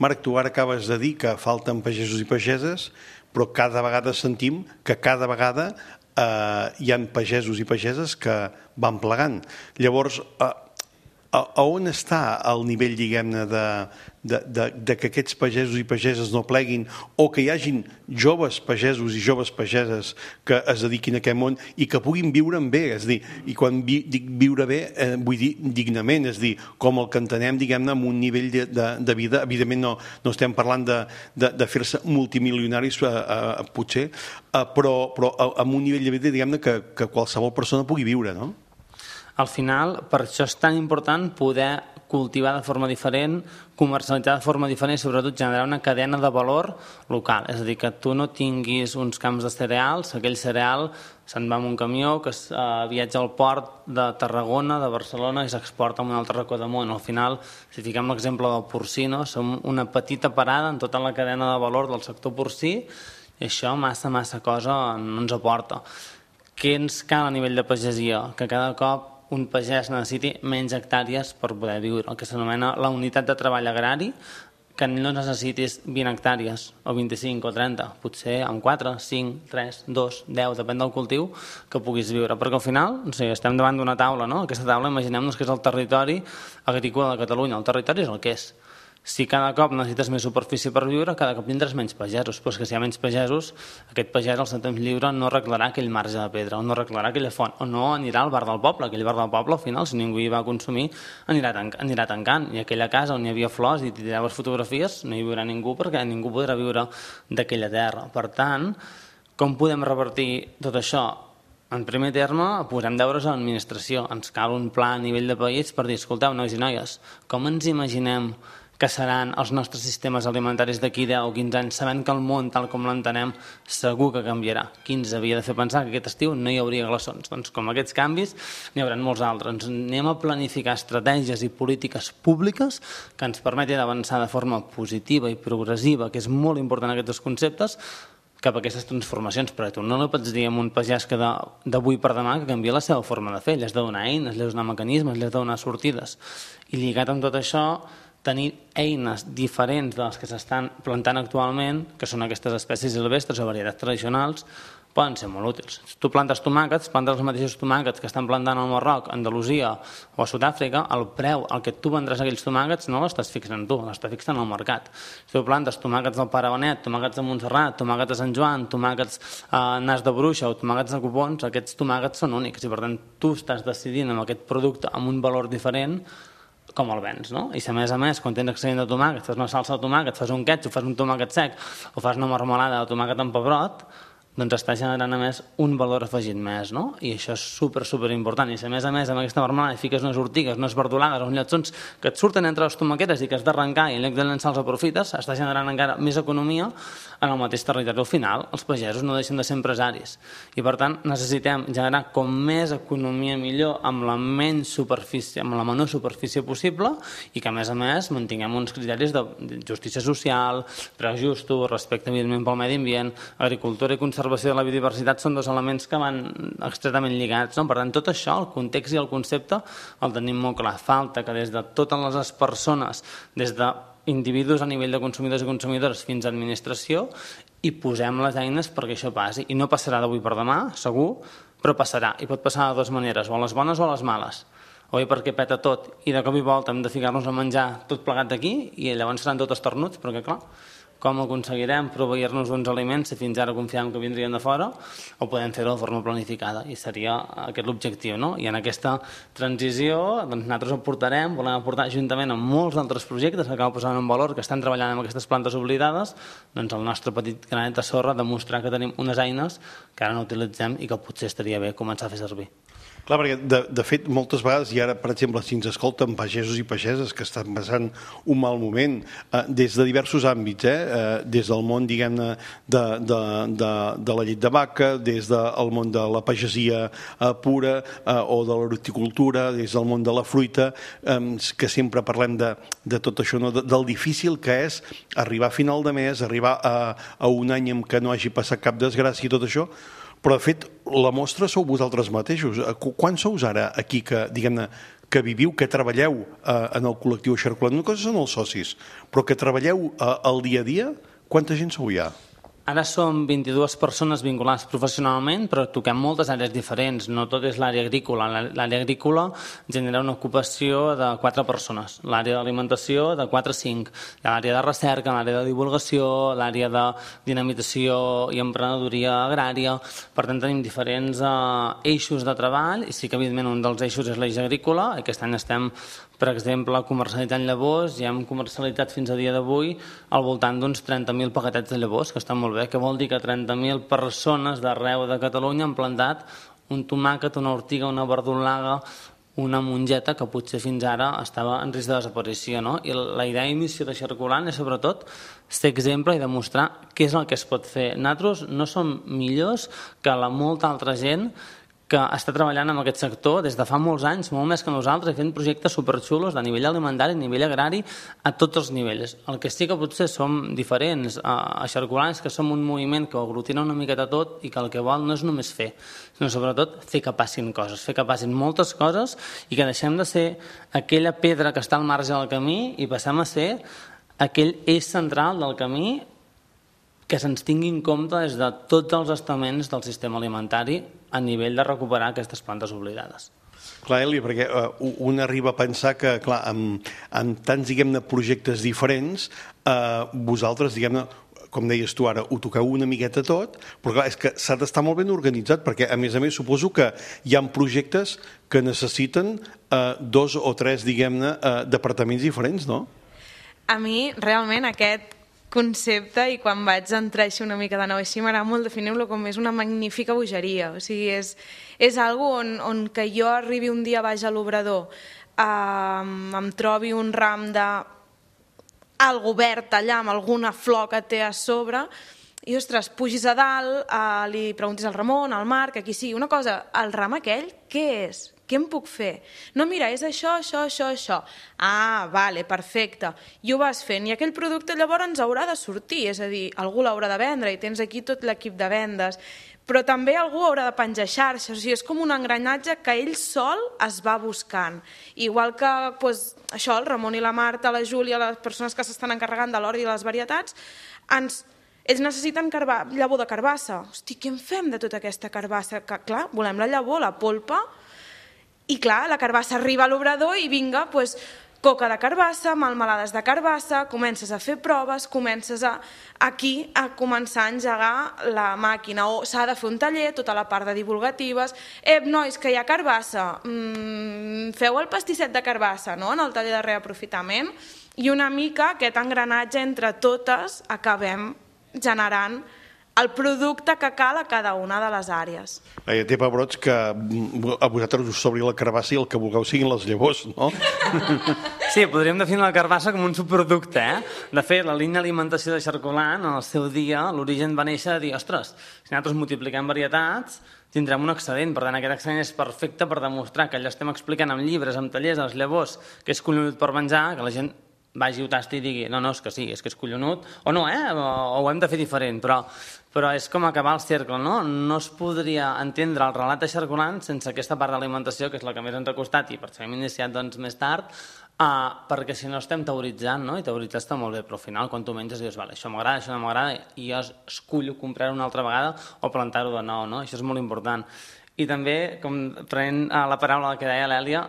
S3: Marc, tu ara acabes de dir que falten pagesos i pageses, però cada vegada sentim que cada vegada hi ha pagesos i pageses que van plegant. Llavors, a on està el nivell, diguem-ne, de, de, de, de que aquests pagesos i pageses no pleguin o que hi hagin joves pagesos i joves pageses que es dediquin a aquest món i que puguin viure bé, és dir, i quan vi, dic viure bé, eh, vull dir dignament, és dir, com el que entenem, diguem-ne, amb un nivell de, de, de vida, evidentment no, no estem parlant de, de, de fer-se multimilionaris, eh, eh, potser, eh, però, però amb un nivell de vida, diguem-ne, que, que qualsevol persona pugui viure, no?
S10: Al final, per això és tan important poder cultivar de forma diferent, comercialitzar de forma diferent i sobretot generar una cadena de valor local. És a dir, que tu no tinguis uns camps de cereals, aquell cereal se'n va amb un camió que es, eh, viatja al port de Tarragona, de Barcelona i s'exporta a un altre racó del món. Al final, si fiquem l'exemple del porcí, no? Som una petita parada en tota la cadena de valor del sector porcí i això massa, massa cosa no ens aporta. Què ens cal a nivell de pagesia? Que cada cop un pagès necessiti menys hectàrees per poder viure, el que s'anomena la unitat de treball agrari, que no necessitis vint hectàrees, o vint-i-cinc o trenta, potser amb quatre, cinc, tres, dos, deu, depèn del cultiu, que puguis viure. Perquè al final, o sigui, estem davant d'una taula, no? Aquesta taula, imaginem-nos que és el territori agrícola de Catalunya. El territori és el que és. Si cada cop necessites més superfície per viure, cada cop tindràs menys pagesos. Però és que si hi ha menys pagesos, aquest pagès al seu temps lliure no arreglarà aquell marge de pedra, o no arreglarà aquella font, o no anirà al bar del poble. Aquell bar del poble, al final, si ningú hi va consumir, anirà, tanc anirà tancant. I aquella casa on hi havia flors i tiraves fotografies, no hi viurà ningú perquè ningú podrà viure d'aquella terra. Per tant, com podem revertir tot això? En primer terme, posem deures a l'administració. Ens cal un pla a nivell de país per dir, escolteu, nois i noies, com ens imaginem que seran els nostres sistemes alimentaris d'aquí deu o quinze anys, sabent que el món, tal com l'entenem, segur que canviarà. Qui ens havia de fer pensar que aquest estiu no hi hauria glaçons? Doncs com aquests canvis, n'hi haurà molts altres. Ens anem a planificar estratègies i polítiques públiques que ens permetin avançar de forma positiva i progressiva, que és molt important aquests conceptes, cap a aquestes transformacions, però tu no li pots dir a un pagès que d'avui per demà que canvia la seva forma de fer, li has de donar eines, li has de donar mecanismes, li has de donar sortides. I lligat amb tot això, tenir eines diferents de les que s'estan plantant actualment, que són aquestes espècies silvestres o varietats tradicionals, poden ser molt útils. Si tu plantes tomàquets, plantes els mateixos tomàquets que estan plantant al Marroc, a Andalusia o a Sud-àfrica, el preu al que tu vendràs aquells tomàquets no l'estàs fixant tu, l'estàs fixant al mercat. Si tu plantes tomàquets del Pare Benet, tomàquets de Montserrat, tomàquets de Sant Joan, tomàquets a Nas de Bruixa o tomàquets de Copons, aquests tomàquets són únics i per tant tu estàs decidint amb aquest producte amb un valor diferent com el vens, no? I si a més a més, quan tens excedent de tomàquet, fas una salsa de tomàquet, fas un ketchup, fas un tomàquet sec o fas una marmelada de tomàquet amb pebrot, doncs està generant a més un valor afegit més, no? I això és super, super important. I si a més a més amb aquesta marmelada fiques unes ortigues, unes verdolagues, uns lletsons que et surten entre les tomaquetes i que has d'arrencar i en lloc de llançar els aprofites, està generant encara més economia en el mateix territori. Al final, els pagesos no deixen de ser empresaris i per tant necessitem generar com més economia millor amb la menys superfície, amb la menor superfície possible i que a més a més mantinguem uns criteris de justícia social, preus justos, respecte evidentment pel medi ambient, agricultura i conservació de la biodiversitat són dos elements que van extretament lligats, no? Per tant, tot això, el context i el concepte, el tenim molt clar. Falta que des de totes les persones, des d'individus a nivell de consumidors i consumidores fins a administració, hi posem les eines perquè això passi. I no passarà d'avui per demà, segur, però passarà. I pot passar de dues maneres, o a les bones o a les males. O bé perquè peta tot i de cop i volta hem de ficar-nos a menjar tot plegat d'aquí i llavors seran tot estornuts, perquè clar, com aconseguirem proveir-nos d'uns aliments si fins ara confiàvem que vindrien de fora o podem fer-ho de forma planificada i seria aquest l'objectiu, no? I en aquesta transició doncs, nosaltres aportarem, volem aportar juntament amb molts altres projectes que acabo posant en valor que estan treballant amb aquestes plantes oblidades, doncs el nostre petit granet de sorra demostrar que tenim unes eines que ara no utilitzem i que potser estaria bé començar a fer servir.
S3: Clar, perquè de, de fet moltes vegades, i ara per exemple si ens escolten pagesos i pageses que estan passant un mal moment eh, des de diversos àmbits, eh, eh, des del món diguem-ne de, de, de, de la llet de vaca, des del món de la pagesia eh, pura eh, o de l'horticultura, des del món de la fruita, eh, que sempre parlem de, de tot això, no? de, del difícil que és arribar a final de mes, arribar a, a un any en què no hagi passat cap desgràcia i tot això. Però, de fet, la mostra sou vosaltres mateixos. Quan sous ara aquí que, diguem-ne, que viviu, que treballeu eh, en el col·lectiu Xarcolant? Una cosa són els socis, però que treballeu eh, el dia a dia, quanta gent sou ja?
S10: Ara som vint-i-dues persones vinculades professionalment, però toquem moltes àrees diferents. No tot és l'àrea agrícola. L'àrea agrícola genera una ocupació de quatre persones. L'àrea d'alimentació de quatre a cinc. L'àrea de recerca, l'àrea de divulgació, l'àrea de dinamitació i emprenedoria agrària. Per tant, tenim diferents eh, eixos de treball i sí que, evidentment, un dels eixos és l'eix agrícola. Aquest any estem, per exemple, comercialitzant llavors i hem comercialitzat fins a dia d'avui al voltant d'uns trenta mil paquetets de llavors, que estan molt bé, que vol dir que trenta mil persones d'arreu de Catalunya han plantat un tomàquet, una ortiga, una verdolaga, una mongeta que potser fins ara estava en risc de desaparició, no? I la idea i missió de Xarcolant és sobretot ser exemple i demostrar què és el que es pot fer. Nosaltres no som millors que la molta altra gent que està treballant en aquest sector des de fa molts anys, molt més que nosaltres, fent projectes superxulos de nivell alimentari, a nivell agrari, a tots els nivells. El que sí que potser som diferents a Xarcolant és que som un moviment que ho aglutina una miqueta tot i que el que vol no és només fer, sinó sobretot fer que passin coses, fer que passin moltes coses i que deixem de ser aquella pedra que està al marge del camí i passem a ser aquell eix central del camí que se'ns tingui en compte des de tots els estaments del sistema alimentari a nivell de recuperar aquestes plantes oblidades.
S3: Clar, Eli, perquè uh, un arriba a pensar que, clar, amb, amb tants, diguem-ne, projectes diferents, uh, vosaltres, diguem-ne, com deies tu ara, ho toqueu una miqueta tot, però clar, és que s'ha d'estar molt ben organitzat, perquè a més a més suposo que hi ha projectes que necessiten uh, dos o tres, diguem-ne, uh, departaments diferents, no?
S11: A mi, realment, aquest concepte, i quan vaig entrar així una mica de nou així, m'agrada molt definir-lo com és una magnífica bogeria. O sigui, és, és algo on, on que jo arribi un dia baix a l'obrador, eh, em trobi un ram de algo verd allà amb alguna flor que té a sobre i, ostres, pugis a dalt, eh, li preguntis al Ramon, al Marc, a qui sigui, una cosa, el ram aquell, què és? què em puc fer? No, mira, és això, això, això, això. Ah, vale, perfecte. I ho vas fent. I aquell producte llavors ens haurà de sortir, és a dir, algú l'haurà de vendre i tens aquí tot l'equip de vendes. Però també algú haurà de penjar xarxes, o sigui, és com un engranatge que ell sol es va buscant. Igual que doncs, això, el Ramon i la Marta, la Júlia, les persones que s'estan encarregant de l'ordi i les varietats, ens... ells necessiten carba... llavor de carbassa. Hosti, què en fem de tota aquesta carbassa? Que, clar, volem la llavor, la polpa, i clar, la carbassa arriba a l'obrador i vinga, doncs, coca de carbassa, melmelades de carbassa, comences a fer proves, comences a, aquí a començar a engegar la màquina, o s'ha de fer un taller, tota la part de divulgatives. Ep, nois, que hi ha carbassa, mm, feu el pastisset de carbassa, no?, en el taller de reaprofitament, i una mica aquest engranatge entre totes acabem generant el producte que cal a cada una de les àrees.
S3: Bé, té pebrots que a vosaltres us sobri la carbassa i el que vulgueu siguin les llavors, no?
S10: Sí, podríem definir la carbassa com un subproducte, eh? De fet, la línia d'alimentació de Xarcolant, en el seu dia, l'origen va néixer a dir, ostres, si nosaltres multipliquem varietats, tindrem un excedent. Per tant, aquest excedent és perfecte per demostrar que allò estem explicant amb llibres, amb tallers, a les llavors, que és collonut per menjar, que la gent vagi, ho tasti i digui, no, no, és que sí, és que és collonut, o no, eh? O, o ho hem de fer diferent, però, però és com acabar el cercle, no? No es podria entendre el relat de Xarcolant sense aquesta part d'alimentació, que és la que més ens ha costat, i per això hem iniciat doncs, més tard, uh, perquè si no estem teoritzant, no? I teoritzar està molt bé, però al final, quan tu menges, dius, vale, això m'agrada, això no m'agrada, i jo escullo comprar-ho una altra vegada o plantar-ho de nou, no? Això és molt important. I també, com prenent uh, la paraula que deia l'Èlia,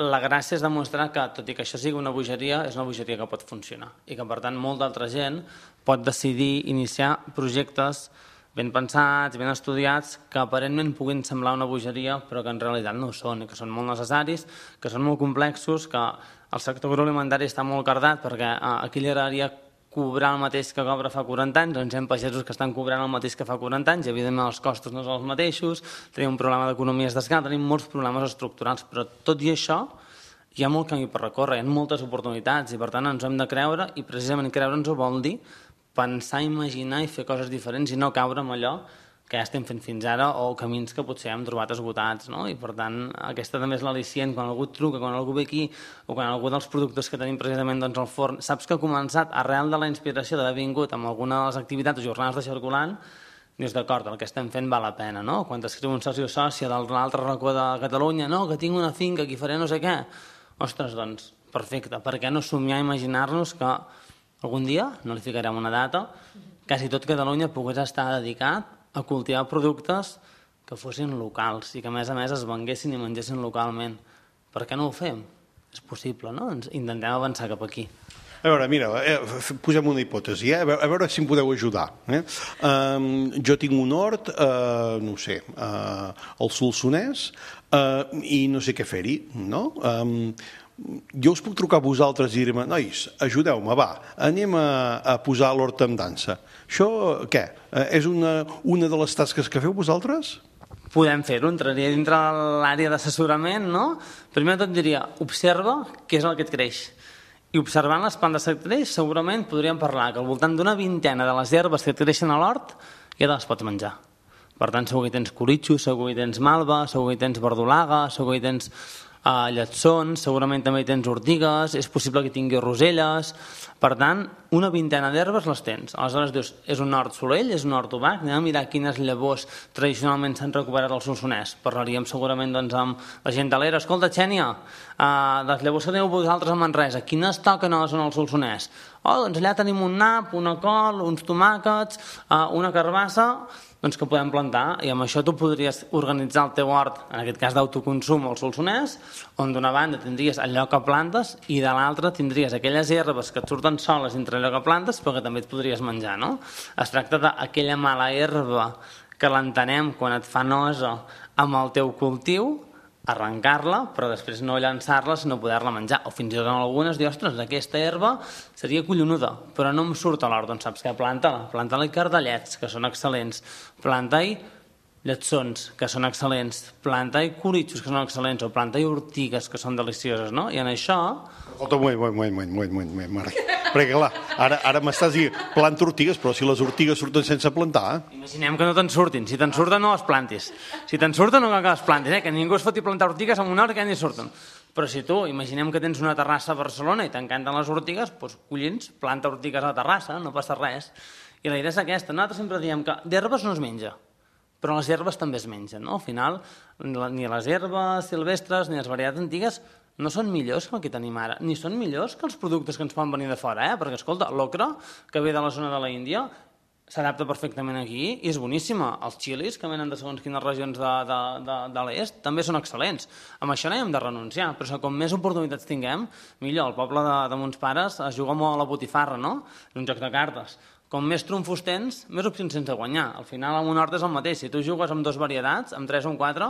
S10: la gràcia és demostrar que, tot i que això sigui una bogeria, és una bogeria que pot funcionar i que, per tant, molt d'altra gent pot decidir iniciar projectes ben pensats, ben estudiats, que aparentment puguin semblar una bogeria, però que en realitat no ho són, i que són molt necessaris, que són molt complexos, que el sector agroalimentari està molt cardat, perquè aquí li agradaria cobrar el mateix que cobra fa quaranta anys, doncs hi ha pagesos que estan cobrant el mateix que fa quaranta anys, i evidentment els costos no són els mateixos, tenim un problema d'economies d'escala, tenim molts problemes estructurals, però tot i això hi ha molt camí per recórrer, hi ha moltes oportunitats, i per tant ens ho hem de creure, i precisament creure'ns-ho vol dir pensar, imaginar i fer coses diferents i no caure en allò que ja estem fent fins ara, o camins que potser hem trobat esgotats, no? I per tant, aquesta també és l'al·licient, quan algú et truca, quan algú ve aquí, o quan algú dels productes que tenim precisament doncs, al forn, saps que ha començat arrel de la inspiració d'haver vingut amb alguna de les activitats o jornades de Xarcolant, dius, d'acord, el que estem fent val la pena, no? Quan t'escriu un soci o sòcia de l'altre racó de Catalunya, no, que tinc una finca, aquí faré no sé què. Ostres, doncs, perfecte, per què no somiar i imaginar-nos que algun dia, no li ficarem una data, quasi tot Catalunya pogués estar dedicat a cultivar productes que fossin locals i que, a més a més, es venguessin i mengessin localment. Per què no ho fem? És possible, no? Ens intentem avançar cap aquí.
S3: A veure, mira, eh, posem una hipòtesi, eh? a, veure, a veure si em podeu ajudar. Eh? Um, jo tinc un hort, uh, no ho sé, uh, al Solsonès, uh, i no sé què fer-hi, no? Um, jo us puc trucar a vosaltres i dir-me, nois, ajudeu-me, va, anem a, a posar l'hort en dansa. Això, què? És una, una de les tasques que feu vosaltres?
S10: Podem fer-ho, entraria dintre l'àrea d'assessorament, no? Primer de tot diria, observa què és el que et creix. I observant les plantes que et creix, segurament podríem parlar que al voltant d'una vintena de les herbes que et creixen a l'hort ja te les pots menjar. Per tant, segur que hi tens coritxo, segur que hi tens malva, segur que hi tens verdolaga, segur que hi tens uh, lletsons, segurament també hi tens ortigues, és possible que tingui roselles. Per tant, una vintena d'herbes les tens. Aleshores dius, és un hort solell, és un hort obac, anem a mirar quines llavors tradicionalment s'han recuperat al Solsonès. Parlaríem segurament doncs, amb la gent de l'era. Escolta, Xènia, uh, les llavors que teniu vosaltres a Manresa, quines toquen a la zona del Solsonès? Oh, doncs allà tenim un nap, una col, uns tomàquets, uh, una carbassa, doncs que podem plantar, i amb això tu podries organitzar el teu hort, en aquest cas d'autoconsum al Solsonès, on d'una banda tindries allò que plantes i de l'altra tindries aquelles herbes que et surten soles entre allò que plantes però que també et podries menjar, no? Es tracta d'aquella mala herba que l'entenem quan et fa nosa amb el teu cultiu, arrencar-la, però després no llançar-la sinó poder-la menjar, o fins i tot en algunes dir, ostres, aquesta herba seria collonuda, però no em surt a l'hort, doncs saps què? Planta-la, planta-la i cardellets, que són excel·lents, planta-hi lletsons, que són excel·lents, plantar-hi curitxos, que són excel·lents, o plantar-hi ortigues, que són delicioses, no? I en això...
S3: Escolta, un moment, un moment, un moment, un moment, Marc. Perquè, clar, ara, ara m'estàs dient planta ortigues, però si les ortigues surten sense plantar...
S10: Imaginem que no te'n surtin. Si te'n surten, no les plantis. Si te'n surten, no cal que les plantis, eh? Que ningú es foti plantar ortigues en una hora que ni surten. Però si tu, imaginem que tens una terrassa a Barcelona i t'encanten les ortigues, doncs collins, planta ortigues a la terrassa, no passa res. I la idea és aquesta. Nosaltres sempre diem que d'herbes no es menja, però les herbes també es mengen, no? Al final, ni les herbes silvestres ni les varietats antigues no són millors que el que tenim ara, ni són millors que els productes que ens poden venir de fora, eh? Perquè, escolta, l'ocra, que ve de la zona de la Índia, s'adapta perfectament aquí i és boníssima. Els xilis, que venen de segons quines regions de, de, de, de l'est, també són excel·lents. Amb això no hi hem de renunciar, però com més oportunitats tinguem, millor. El poble de, de mons pares es juga molt a la botifarra, no? Un joc de cartes. Com més trumfos tens, més opcions tens de guanyar. Al final, al Monort és el mateix. Si tu jugues amb dues varietats, amb tres o amb quatre,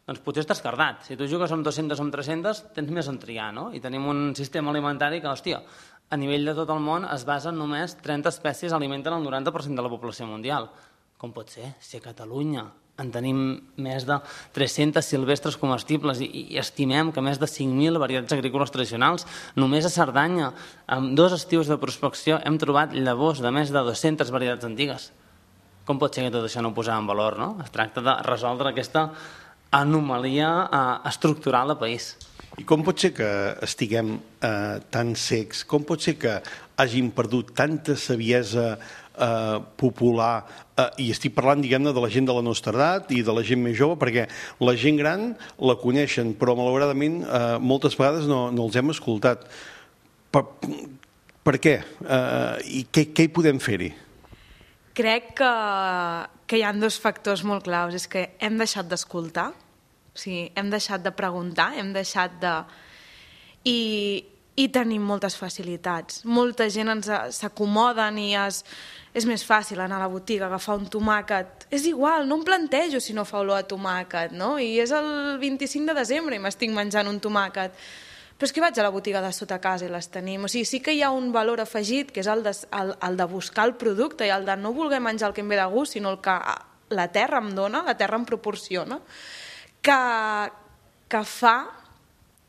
S10: doncs potser estàs cardat. Si tu jugues amb dues-centes o amb tres-centes, tens més on triar, no? I tenim un sistema alimentari que, hòstia, a nivell de tot el món es basa en només trenta espècies alimenten el noranta per cent de la població mundial. Com pot ser? Si a Catalunya en tenim més de tres-centes silvestres comestibles i, i estimem que més de cinc mil varietats agrícoles tradicionals. Només a Cerdanya, amb dos estius de prospecció, hem trobat llavors de més de dues-centes varietats antigues. Com pot ser que tot això no ho posem en valor, no? Es tracta de resoldre aquesta anomalia eh, estructural de país.
S3: I com pot ser que estiguem eh, tan secs? Com pot ser que hagin perdut tanta saviesa eh, popular? Eh, I estic parlant, diguem-ne, de la gent de la nostra edat i de la gent més jove, perquè la gent gran la coneixen, però malauradament eh, moltes vegades no, no els hem escoltat. Per, per què? Eh, I què, què hi podem fer-hi?
S11: Crec que, que hi ha dos factors molt claus. És que hem deixat d'escoltar, o sigui, hem deixat de preguntar, hem deixat de... I, i tenim moltes facilitats. Molta gent ens s'acomoden i es, és més fàcil anar a la botiga, agafar un tomàquet. És igual, no em plantejo si no fa olor a tomàquet, no? I és el vint-i-cinc de desembre i m'estic menjant un tomàquet. Però és que vaig a la botiga de sota casa i les tenim. O sigui, sí que hi ha un valor afegit, que és el de, el, el de buscar el producte i el de no voler menjar el que em ve de gust, sinó el que la terra em dona, la terra em proporciona, que, que fa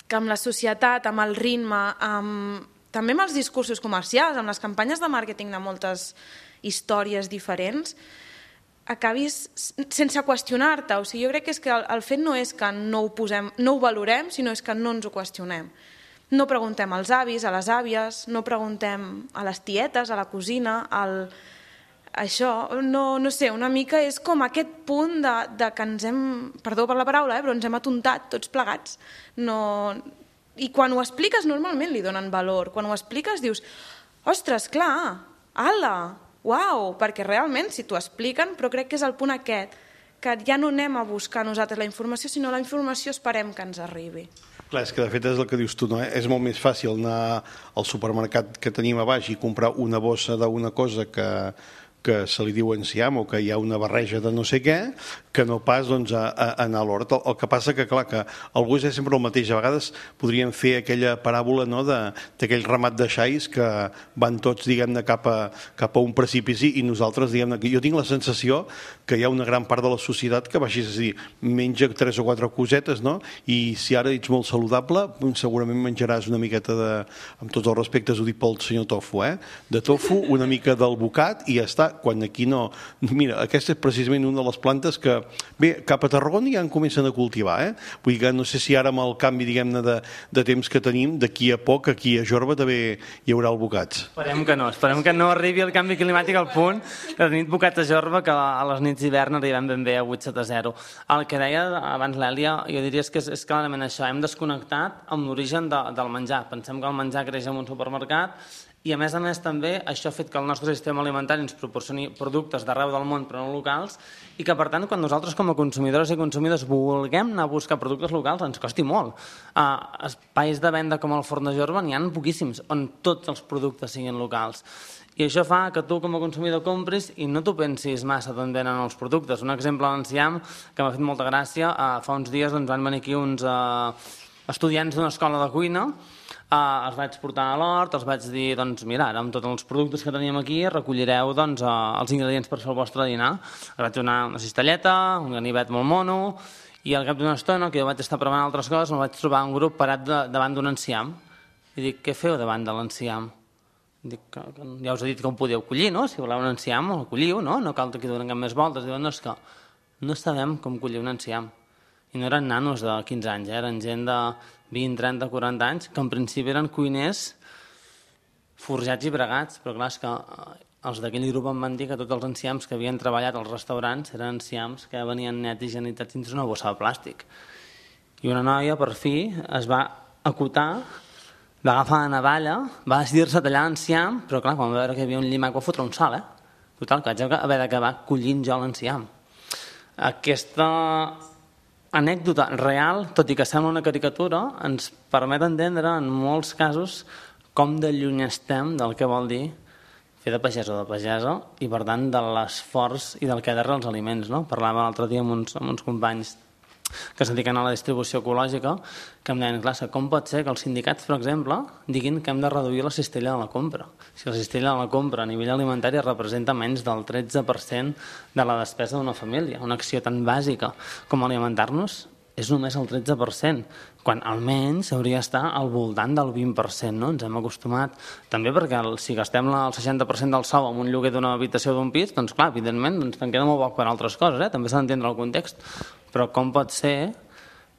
S11: que amb la societat, amb el ritme, amb, també amb els discursos comercials, amb les campanyes de màrqueting de moltes històries diferents, acabis sense qüestionar-te. O sigui, jo crec que, és que el, el fet no és que no ho, posem, no ho valorem, sinó és que no ens ho qüestionem. No preguntem als avis, a les àvies, no preguntem a les tietes, a la cosina, al... Això, no, no sé, una mica és com aquest punt de, de que ens hem, perdó per la paraula, eh, però ens hem atontat tots plegats. No... I quan ho expliques normalment li donen valor. Quan ho expliques dius, ostres, clar, ala, uau, perquè realment si t'ho expliquen, però crec que és el punt aquest, que ja no anem a buscar nosaltres la informació, sinó la informació esperem que ens arribi.
S3: Clar, és que de fet és el que dius tu, no? És molt més fàcil anar al supermercat que tenim a baix i comprar una bossa d'una cosa que que se li diu enciam o que hi ha una barreja de no sé què, que no pas doncs, a, a anar a l'hort. El, el que passa que, clar, que el gust és sempre el mateix. A vegades podríem fer aquella paràbola, no?, d'aquell ramat de xais que van tots, diguem-ne, cap a, cap a un precipici i nosaltres, diguem-ne, que jo tinc la sensació que hi ha una gran part de la societat que va així, és a dir, menja tres o quatre cosetes, no?, i si ara ets molt saludable, segurament menjaràs una miqueta de, amb tots els respectes ho dic pel senyor Tofu, eh?, de tofu, una mica del bocat i ja està. Quan aquí no... Mira, aquesta és precisament una de les plantes que, bé, cap a Tarragona ja en comencen a cultivar, eh? Vull dir que no sé si ara amb el canvi, diguem-ne, de, de temps que tenim, d'aquí a poc, aquí a Jorba també hi haurà el bocats.
S10: Esperem que no, esperem que no arribi el canvi climàtic al punt de tenir bocat a Jorba, que a les nits d'hivern arribem ben bé a vuit sota zero. El que deia abans l'Èlia, jo diria que és, és clarament això, hem desconnectat amb l'origen de, del menjar. Pensem que el menjar creix en un supermercat i, a més a més, també això ha fet que el nostre sistema alimentari ens proporcioni productes d'arreu del món però no locals i que, per tant, quan nosaltres com a consumidors i consumidors vulguem anar a buscar productes locals ens costi molt. Uh, espais de venda com el Forn de Jorba n'hi ha poquíssims on tots els productes siguin locals. I això fa que tu com a consumidor compris i no t'ho pensis massa d'on venen els productes. Un exemple a l'enciam que m'ha fet molta gràcia, uh, fa uns dies doncs, van venir aquí uns... Uh, estudiants d'una escola de cuina, eh, els vaig portar a l'hort, els vaig dir, doncs mira, ara amb tots els productes que teníem aquí recollireu doncs, eh, els ingredients per fer el vostre dinar. Els vaig donar una cistelleta, un ganivet molt mono, i al cap d'una estona, que jo vaig estar provant altres coses, me'l vaig trobar un grup parat de, davant d'un enciam. I dic, què feu davant de l'enciam? Dic, que, que ja us he dit que ho podeu collir, no? Si voleu un enciam, el colliu, no? No cal que donen cap més voltes. Diuen, no, és que no sabem com collir un enciam. I no eren nanos de quinze anys, eh? Eren gent de vint, trenta, quaranta anys, que en principi eren cuiners forjats i bregats, però clar, és que els d'aquell grup em van dir que tots els enciams que havien treballat als restaurants eren enciams que venien nets i higienitzats dins una bossa de plàstic. I una noia, per fi, es va acotar, va agafar la navalla, va decidir-se tallar l'enciam, però clar, quan va veure que hi havia un llimac va fotre un salt, eh? Total, que vaig haver d'acabar collint jo l'enciam. Aquesta anècdota real, tot i que sembla una caricatura, ens permet entendre en molts casos com de lluny estem del que vol dir fer de pagès o de pagesa i, per tant, de l'esforç i del que darrere els aliments. No? Parlava l'altre dia amb uns, amb uns companys que es dediquen a la distribució ecològica, que em deien, clar, com pot ser que els sindicats, per exemple, diguin que hem de reduir la cistella de la compra? Si la cistella de la compra a nivell alimentari representa menys del tretze per cent de la despesa d'una família, una acció tan bàsica com alimentar-nos és només el tretze per cent, quan almenys hauria d'estar al voltant del vint per cent, no? Ens hem acostumat. També perquè el, si gastem el seixanta per cent del sou en un lloguer d'una habitació d'un pis, doncs clar, evidentment, doncs te'n queda molt poc per altres coses, eh? També s'ha d'entendre el context. Però com pot ser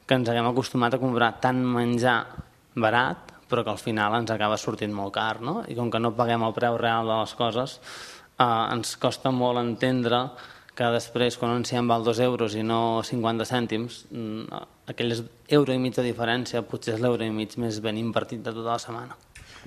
S10: que ens haguem acostumat a comprar tant menjar barat, però que al final ens acaba sortint molt car, no? I com que no paguem el preu real de les coses, eh, ens costa molt entendre que després, quan un enciam val dos euros i no cinquanta cèntims, aquell euro i mig de diferència potser és l'euro i mig més ben invertit de tota la setmana.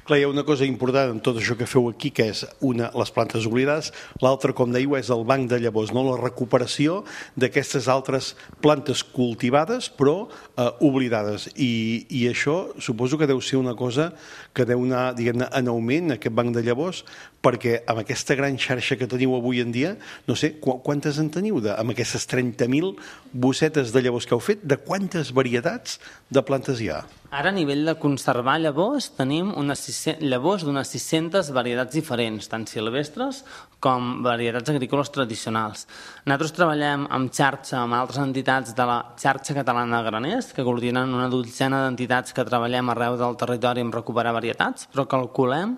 S3: Clar, hi ha una cosa important en tot això que feu aquí, que és una, les plantes oblidades, l'altra, com dèieu, és el banc de llavors, no? La recuperació d'aquestes altres plantes cultivades però eh, oblidades. I, I això suposo que deu ser una cosa que deu anar, diguem-ne, en augment, aquest banc de llavors, perquè amb aquesta gran xarxa que teniu avui en dia, no sé, qu quantes en teniu? De, amb aquestes trenta mil bossetes de llavors que heu fet, de quantes varietats de plantes hi ha?
S10: Ara, a nivell de conservar llavors, tenim unes llavors d'unes sis-centes varietats diferents, tant silvestres com varietats agrícoles tradicionals. Nosaltres treballem amb xarxa amb altres entitats de la xarxa catalana de graners, que coordinen una dotzena d'entitats que treballem arreu del territori en recuperar varietats, però calculem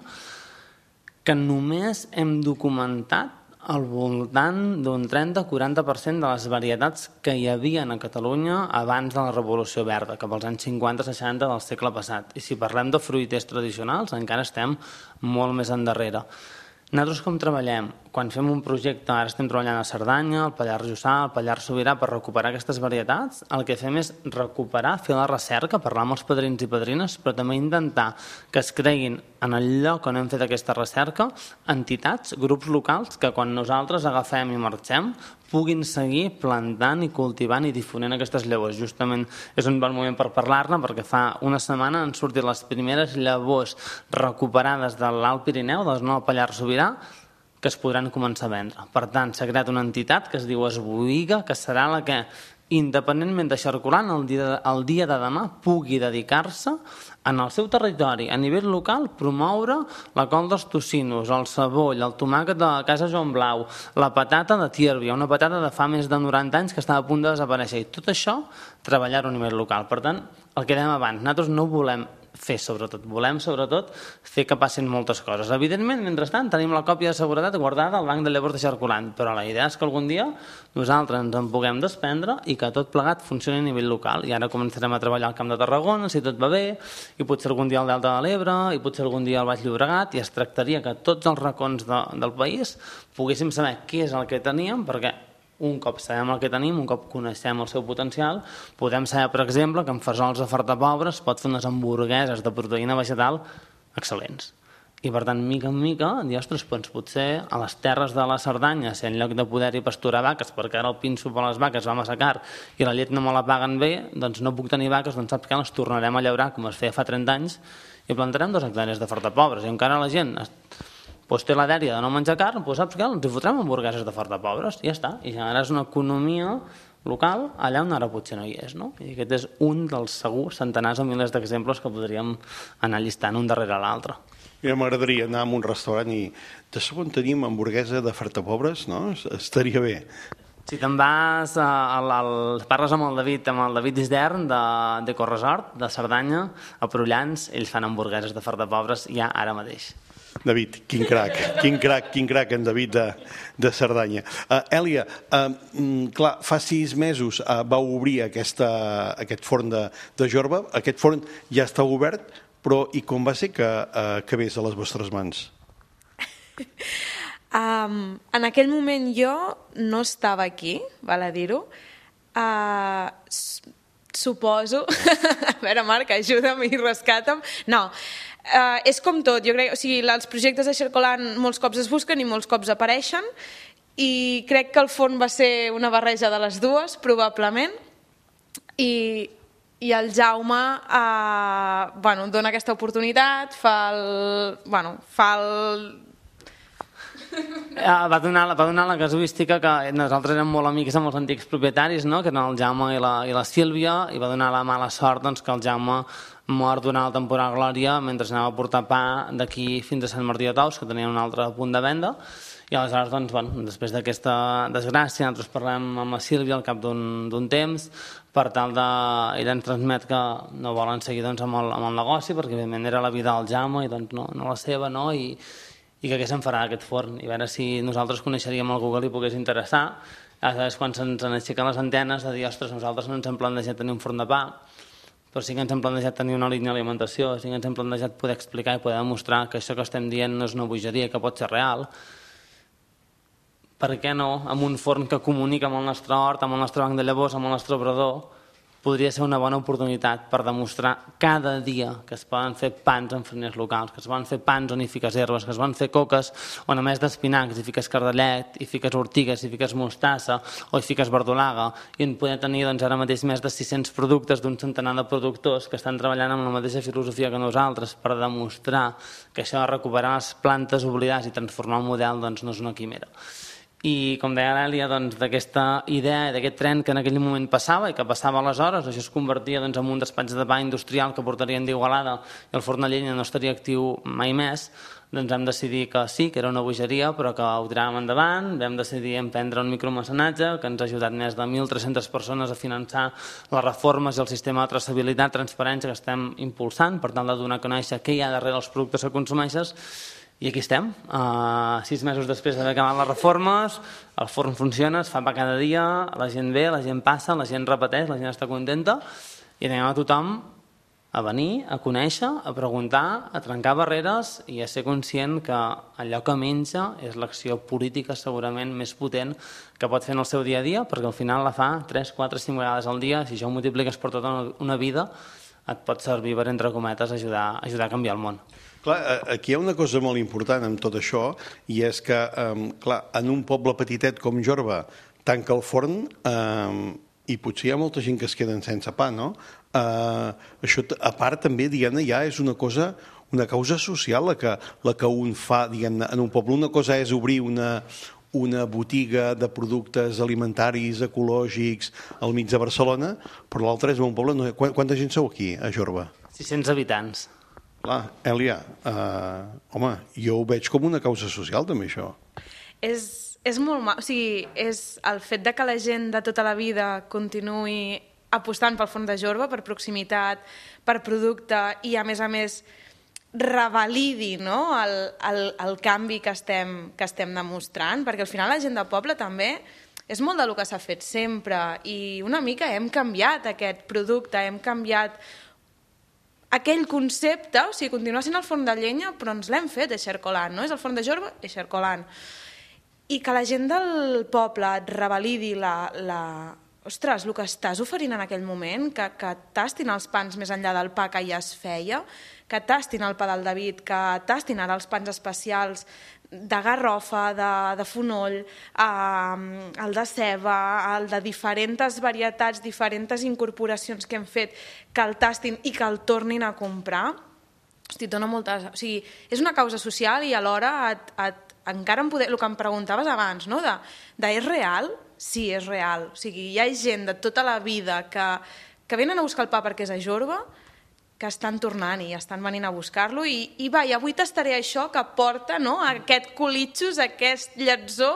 S10: que només hem documentat al voltant d'un trenta a quaranta per cent de les varietats que hi havia a Catalunya abans de la Revolució Verda, cap als anys cinquanta seixanta del segle passat. I si parlem de fruiters tradicionals, encara estem molt més endarrere. Nosaltres com treballem? Quan fem un projecte, ara estem treballant a Cerdanya, al Pallars Jussà, al Pallars Sobirà, per recuperar aquestes varietats, el que fem és recuperar, fer la recerca, parlar amb els padrins i padrines, però també intentar que es creguin en el lloc on hem fet aquesta recerca entitats, grups locals, que quan nosaltres agafem i marxem puguin seguir plantant i cultivant i difonent aquestes llavors. Justament és un bon moment per parlar-ne, perquè fa una setmana han sortit les primeres llavors recuperades de l'Alt Pirineu, de la zona del Pallars Sobirà, que es podran començar a vendre. Per tant, s'ha creat una entitat que es diu Esboïga, que serà la que, independentment de circulant, el dia, el dia de demà pugui dedicar-se en el seu territori, a nivell local, promoure la col dels tocinos, el ceboll, el tomàquet de Casa Joan Blau, la patata de Tírvia, una patata de fa més de noranta anys que estava a punt de desaparèixer. I tot això, treballar-ho a nivell local. Per tant, el que dèiem abans, nosaltres no volem fer, sobretot. Volem, sobretot, fer que passin moltes coses. Evidentment, mentrestant, tenim la còpia de seguretat guardada al banc de llavors de circulant, però la idea és que algun dia nosaltres ens en puguem desprendre i que tot plegat funcioni a nivell local. I ara començarem a treballar al Camp de Tarragona, si tot va bé, i potser algun dia al Delta de l'Ebre, i potser algun dia al Baix Llobregat, i es tractaria que tots els racons de, del país poguéssim saber què és el que teníem, perquè un cop sabem el que tenim, un cop coneixem el seu potencial, podem saber, per exemple, que en fesols de Fartapobra es pot fer unes hamburgueses de proteïna vegetal excel·lents. I, per tant, mica en mica, dir, ostres, doncs potser a les terres de la Cerdanya, si en lloc de poder-hi pasturar vaques, perquè ara el pinso per les vaques va massa car i la llet no me la paguen bé, doncs no puc tenir vaques, doncs saps que les tornarem a llaurar, com es feia fa trenta anys, i plantarem dos hectàrees de Fartapobres. I encara la gent doncs té la dèria de no menjar carn, doncs saps què? Els hi fotrem hamburgueses de Fartapobres i ja està. I generaràs una economia local allà on ara potser no hi és, no? I aquest és un dels segurs centenars o milers d'exemples que podríem anar llistant un darrere l'altre.
S3: Mira, m'agradaria anar a un restaurant i de sobte tenim hamburguesa de fartapobres, no? Estaria bé.
S10: Si te'n vas, al, al, parles amb el David, amb el David Isdern de, de Corresort, de Cerdanya, a Prullans, ells fan hamburgueses de fartapobres ja ara mateix.
S3: David, quin crac, quin crac, quin crac en David de, de Cerdanya. Uh, Èlia, uh, clar, fa sis mesos uh, va obrir aquesta, aquest forn de, de Jorba, aquest forn ja està obert, però i com va ser que uh, acabés a les vostres mans?
S11: Um, en aquell moment jo no estava aquí, val a dir-ho. Uh, suposo... a veure, Marc, ajuda'm i rescata'm. No, Uh, és com tot, jo crec, o sigui, els projectes de Xercolan molts cops es busquen i molts cops apareixen i crec que el forn va ser una barreja de les dues, probablement, i, i el Jaume uh, bueno, dona aquesta oportunitat, fa el... Bueno, fa el...
S10: Va donar, va donar la casuística que nosaltres érem molt amics amb els antics propietaris, no? Que eren el Jaume i la, i la Sílvia, i va donar la mala sort doncs, que el Jaume mort durant la temporada Glòria mentre anava a portar pa d'aquí fins a Sant Martí de Tous, que tenia un altre punt de venda, i aleshores, doncs, bueno, després d'aquesta desgràcia, nosaltres parlem amb la Sílvia al cap d'un temps, per tal de... ella ens transmet que no volen seguir doncs, amb, el, amb el negoci, perquè evidentment era la vida del Jaume i doncs, no, no la seva, no? I, i que què se'n farà aquest forn, i a veure si nosaltres coneixeríem algú que li pogués interessar. Aleshores, quan se'ns aixequen les antenes de dir, ostres, nosaltres no ens hem plantejat tenir un forn de pa, però sí que ens hem plantejat tenir una línia d'alimentació, sí que ens hem plantejat poder explicar i poder demostrar que això que estem dient no és una bogeria, que pot ser real. Per què no, amb un forn que comunica amb el nostre hort, amb el nostre banc de llavors, amb el nostre obrador, podria ser una bona oportunitat per demostrar cada dia que es poden fer pans en fariners locals, que es poden fer pans on hi fiques herbes, que es poden fer coques on a més d'espinacs hi fiques cardellet, hi fiques ortigues, hi fiques mostassa o hi fiques verdolaga, i en poder tenir doncs, ara mateix més de sis-cents productes d'un centenar de productors que estan treballant amb la mateixa filosofia que nosaltres per demostrar que això de recuperar les plantes oblidades i transformar el model doncs, no és una quimera. I com deia l'Èlia, doncs, d'aquesta idea, d'aquest tren que en aquell moment passava i que passava aleshores, això es convertia doncs, en un despatx de pa industrial que portarien d'Igualada i el forn de llenya no estaria actiu mai més, doncs vam decidir que sí, que era una bogeria, però que ho tiràvem endavant, vam decidir emprendre un micromecenatge que ens ha ajudat més de mil tres-centes persones a finançar les reformes i el sistema de traçabilitat, transparència que estem impulsant per tal de donar a conèixer què hi ha darrere els productes que consumeixes. I aquí estem, uh, sis mesos després d'haver acabat les reformes, el forn funciona, es fa pa cada dia, la gent ve, la gent passa, la gent repeteix, la gent està contenta, i anem a tothom a venir, a conèixer, a preguntar, a trencar barreres i a ser conscient que allò que menja és l'acció política segurament més potent que pot fer en el seu dia a dia, perquè al final la fa tres, quatre, cinc vegades al dia, si això ho multipliques per tota una vida, et pot servir per, entre cometes, ajudar, ajudar a canviar el món.
S3: Clar, aquí hi ha una cosa molt important amb tot això, i és que, clar, en un poble petitet com Jorba tanca el forn i potser hi ha molta gent que es queden sense pa, no? Això, a part, també, diguem-ne, ja és una cosa, una causa social la que, la que un fa, diguem-ne, en un poble. Una cosa és obrir una, una botiga de productes alimentaris, ecològics, al mig de Barcelona, però l'altra és un poble... No, quanta gent sou aquí, a Jorba?
S10: sis-cents habitants.
S3: Clar, Èlia, uh, home, jo ho veig com una causa social, també, això.
S11: És, és molt mal, o sigui, és el fet de que la gent de tota la vida continuï apostant pel forn de Jorba, per proximitat, per producte, i a més a més revalidi, no?, el, el, el canvi que estem, que estem demostrant, perquè al final la gent del poble també és molt del que s'ha fet sempre, i una mica hem canviat aquest producte, hem canviat aquell concepte, o sigui, continua sent el forn de llenya, però ens l'hem fet a Xercolan, no? És el forn de Jorba i Xercolan. I que la gent del poble et revalidi la... la... Ostres, el que estàs oferint en aquell moment, que, que tastin els pans més enllà del pa que ja es feia, que tastin el pa del David, que tastin ara els pans especials de garrofa, de, de fonoll, eh, el de ceba, el de diferents varietats, diferents incorporacions que hem fet, que el tastin i que el tornin a comprar. Hosti, dona moltes... O sigui, és una causa social i alhora et, et, encara em poder... el que em preguntaves abans, no? de, de és real? Sí, és real. O sigui, hi ha gent de tota la vida que, que venen a buscar el pa perquè és a Jorba, que estan tornant i estan venint a buscar-lo i, i va, i avui tastaré això que porta, no?, aquest colitxos, aquest lletzó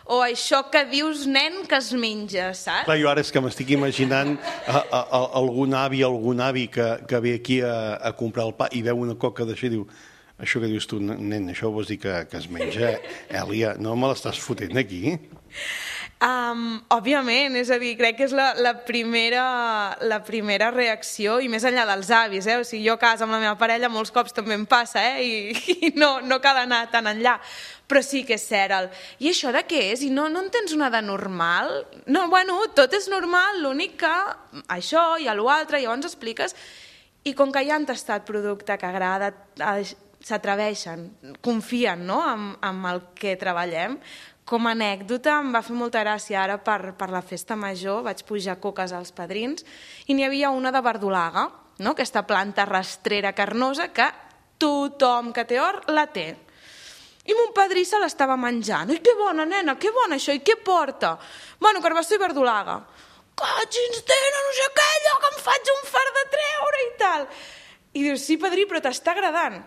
S11: o això que dius, nen, que es menja, saps?
S3: Clar, jo ara és que m'estic imaginant a, a, a, algun avi, algun avi que, que ve aquí a, a comprar el pa i veu una coca d'això i diu, això que dius tu, nen, això vols dir que, que es menja? Èlia, no me l'estàs fotent aquí?
S11: Um, òbviament, és a dir, crec que és la, la, primera, la primera reacció i més enllà dels avis, eh? O sigui, jo a casa amb la meva parella molts cops també em passa, eh? I, i no, no cal anar tan enllà, però sí que és cert el, i això de què és? I no, no en tens una de normal? No, bueno, tot és normal, l'únic que això i l'altre, llavors expliques, i com que ja han tastat producte que agrada, s'atreveixen, confien, no?, amb, amb el que treballem. Com a anècdota, em va fer molta gràcia ara per, per la festa major, vaig pujar coques als padrins i n'hi havia una de verdolaga, no?, aquesta planta rastrera carnosa que tothom que té or la té. I mon padrí se l'estava menjant. I que bona, nena, que bona això, i què porta? Bueno, carbassó i verdolaga. Cotxins, tenen, no sé què, allò que em faig un fart de treure i tal. I dius, sí, padrí, però t'està agradant.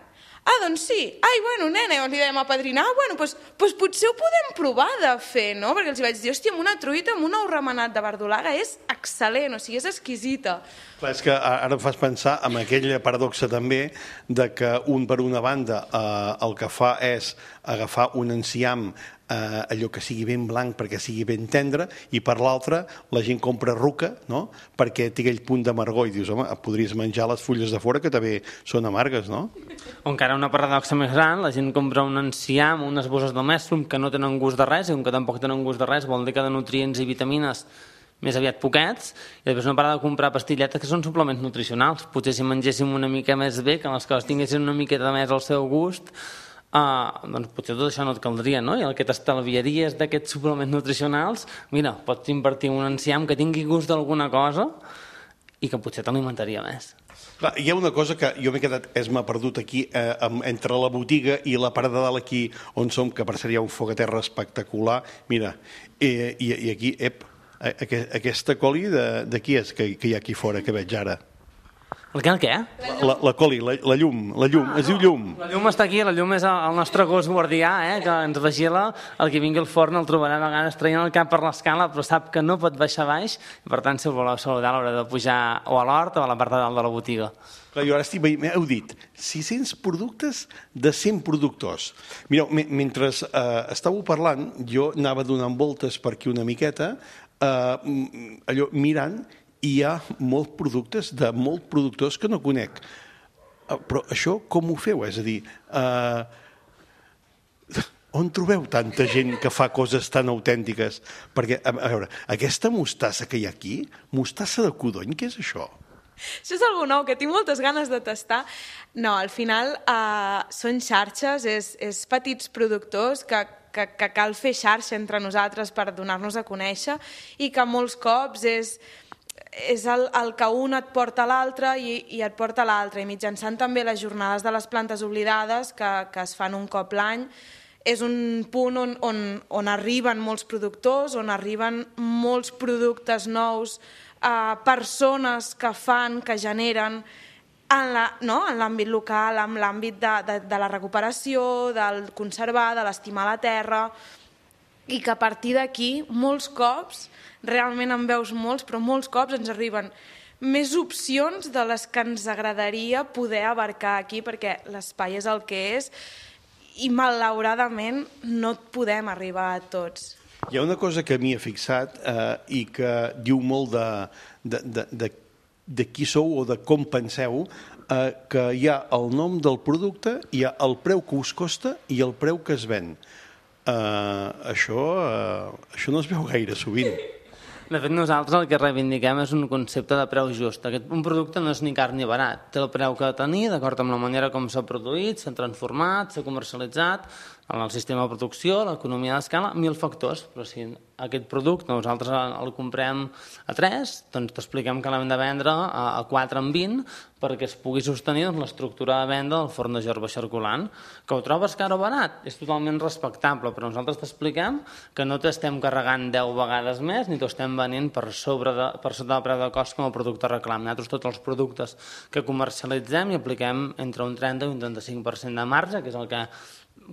S11: Ah, doncs sí. Ai, bueno, nena, llavors li dèiem al padrí, ah, bueno, doncs, doncs potser ho podem provar de fer, no? Perquè els vaig dir, hòstia, amb una truita, amb un ou remenat de verdolaga és excel·lent, o sigui, és exquisita.
S3: Clar, és que ara em fas pensar en aquella paradoxa també de que un per una banda eh, el que fa és agafar un enciam eh, allò que sigui ben blanc perquè sigui ben tendre i per l'altra la gent compra ruca, no?, perquè té aquell punt d'amargor i dius, home, podries menjar les fulles de fora que també són amargues, no?
S10: O encara una paradoxa més gran, la gent compra un enciam, unes bosses de mèstrum que no tenen gust de res, i com que tampoc tenen gust de res vol dir que de nutrients i vitamines més aviat poquets, i després no para de comprar pastilletes que són suplements nutricionals. Potser si mengéssim una mica més bé, que les coses tinguessin una miqueta més al seu gust, Uh, doncs potser tot això no et caldria, no? I el que t'estalviaries d'aquests suplements nutricionals, mira, pots invertir un enciam que tingui gust d'alguna cosa i que potser t'alimentaria més.
S3: Clar, hi ha una cosa que jo m'he quedat, és m'ha perdut aquí, eh, entre la botiga i la part de dalt aquí on som, que per ser hi ha un foc a terra espectacular. Mira, eh, i, i aquí, ep, aquesta coli de, de qui és que, que hi ha aquí fora, que veig ara?
S10: El què, el què?
S3: La, la coli, la, la llum, la llum, ah, es diu llum.
S10: La llum està aquí, la llum és el nostre gos guardià, eh, que ens vigila, el que vingui al forn el trobarà a vegades traient el cap per l'escala, però sap que no pot baixar baix, i per tant, si el voleu saludar, l'haurà de pujar o a l'hort o a la part de dalt de la botiga.
S3: Clar, jo ara estic veient, heu dit, sis-cents productes de cent productors. Mireu, mentre eh, estàveu parlant, jo anava donant voltes per aquí una miqueta, eh, allò, mirant, i hi ha molts productes de molts productors que no conec. Però això com ho feu? És a dir, eh, on trobeu tanta gent que fa coses tan autèntiques? Perquè, a veure, aquesta mostassa que hi ha aquí, mostassa de codony, què és això?
S11: Això és algo nou, que tinc moltes ganes de tastar. No, al final eh, són xarxes, és, és petits productors que, que, que cal fer xarxa entre nosaltres per donar-nos a conèixer i que molts cops és... és el, el que un et porta a l'altre i, i et porta a l'altre. I mitjançant també les jornades de les plantes oblidades, que, que es fan un cop l'any, és un punt on, on, on arriben molts productors, on arriben molts productes nous, eh, persones que fan, que generen, en la, no? en l'àmbit local, en l'àmbit de, de, de la recuperació, del conservar, de l'estimar la terra, i que a partir d'aquí, molts cops, realment en veus molts, però molts cops ens arriben més opcions de les que ens agradaria poder abarcar aquí, perquè l'espai és el que és i malauradament no podem arribar a tots.
S3: Hi ha una cosa que m'hi he fixat eh, i que diu molt de, de, de, de, de qui sou o de com penseu, eh, que hi ha el nom del producte, hi ha el preu que us costa i el preu que es ven. Eh, això, eh, això no es veu gaire sovint.
S10: De fet, nosaltres el que reivindiquem és un concepte de preu just. Aquest, un producte no és ni car ni barat. Té el preu que ha de tenir, d'acord amb la manera com s'ha produït, s'ha transformat, s'ha comercialitzat, en el sistema de producció, l'economia d'escala, mil factors, però si aquest producte nosaltres el comprem a tres, doncs t'expliquem que l'hem de vendre a quatre en vint perquè es pugui sostenir l'estructura de venda del forn de Jorba circulant. Que ho trobes car o barat? És totalment respectable, però nosaltres t'expliquem que no t'estem carregant deu vegades més ni t'ho estem venint per sobre de, per sota del preu de cost com a producte reclam. Nosaltres tots els productes que comercialitzem i apliquem entre un trenta i un trenta-cinc per cent de marge, que és el que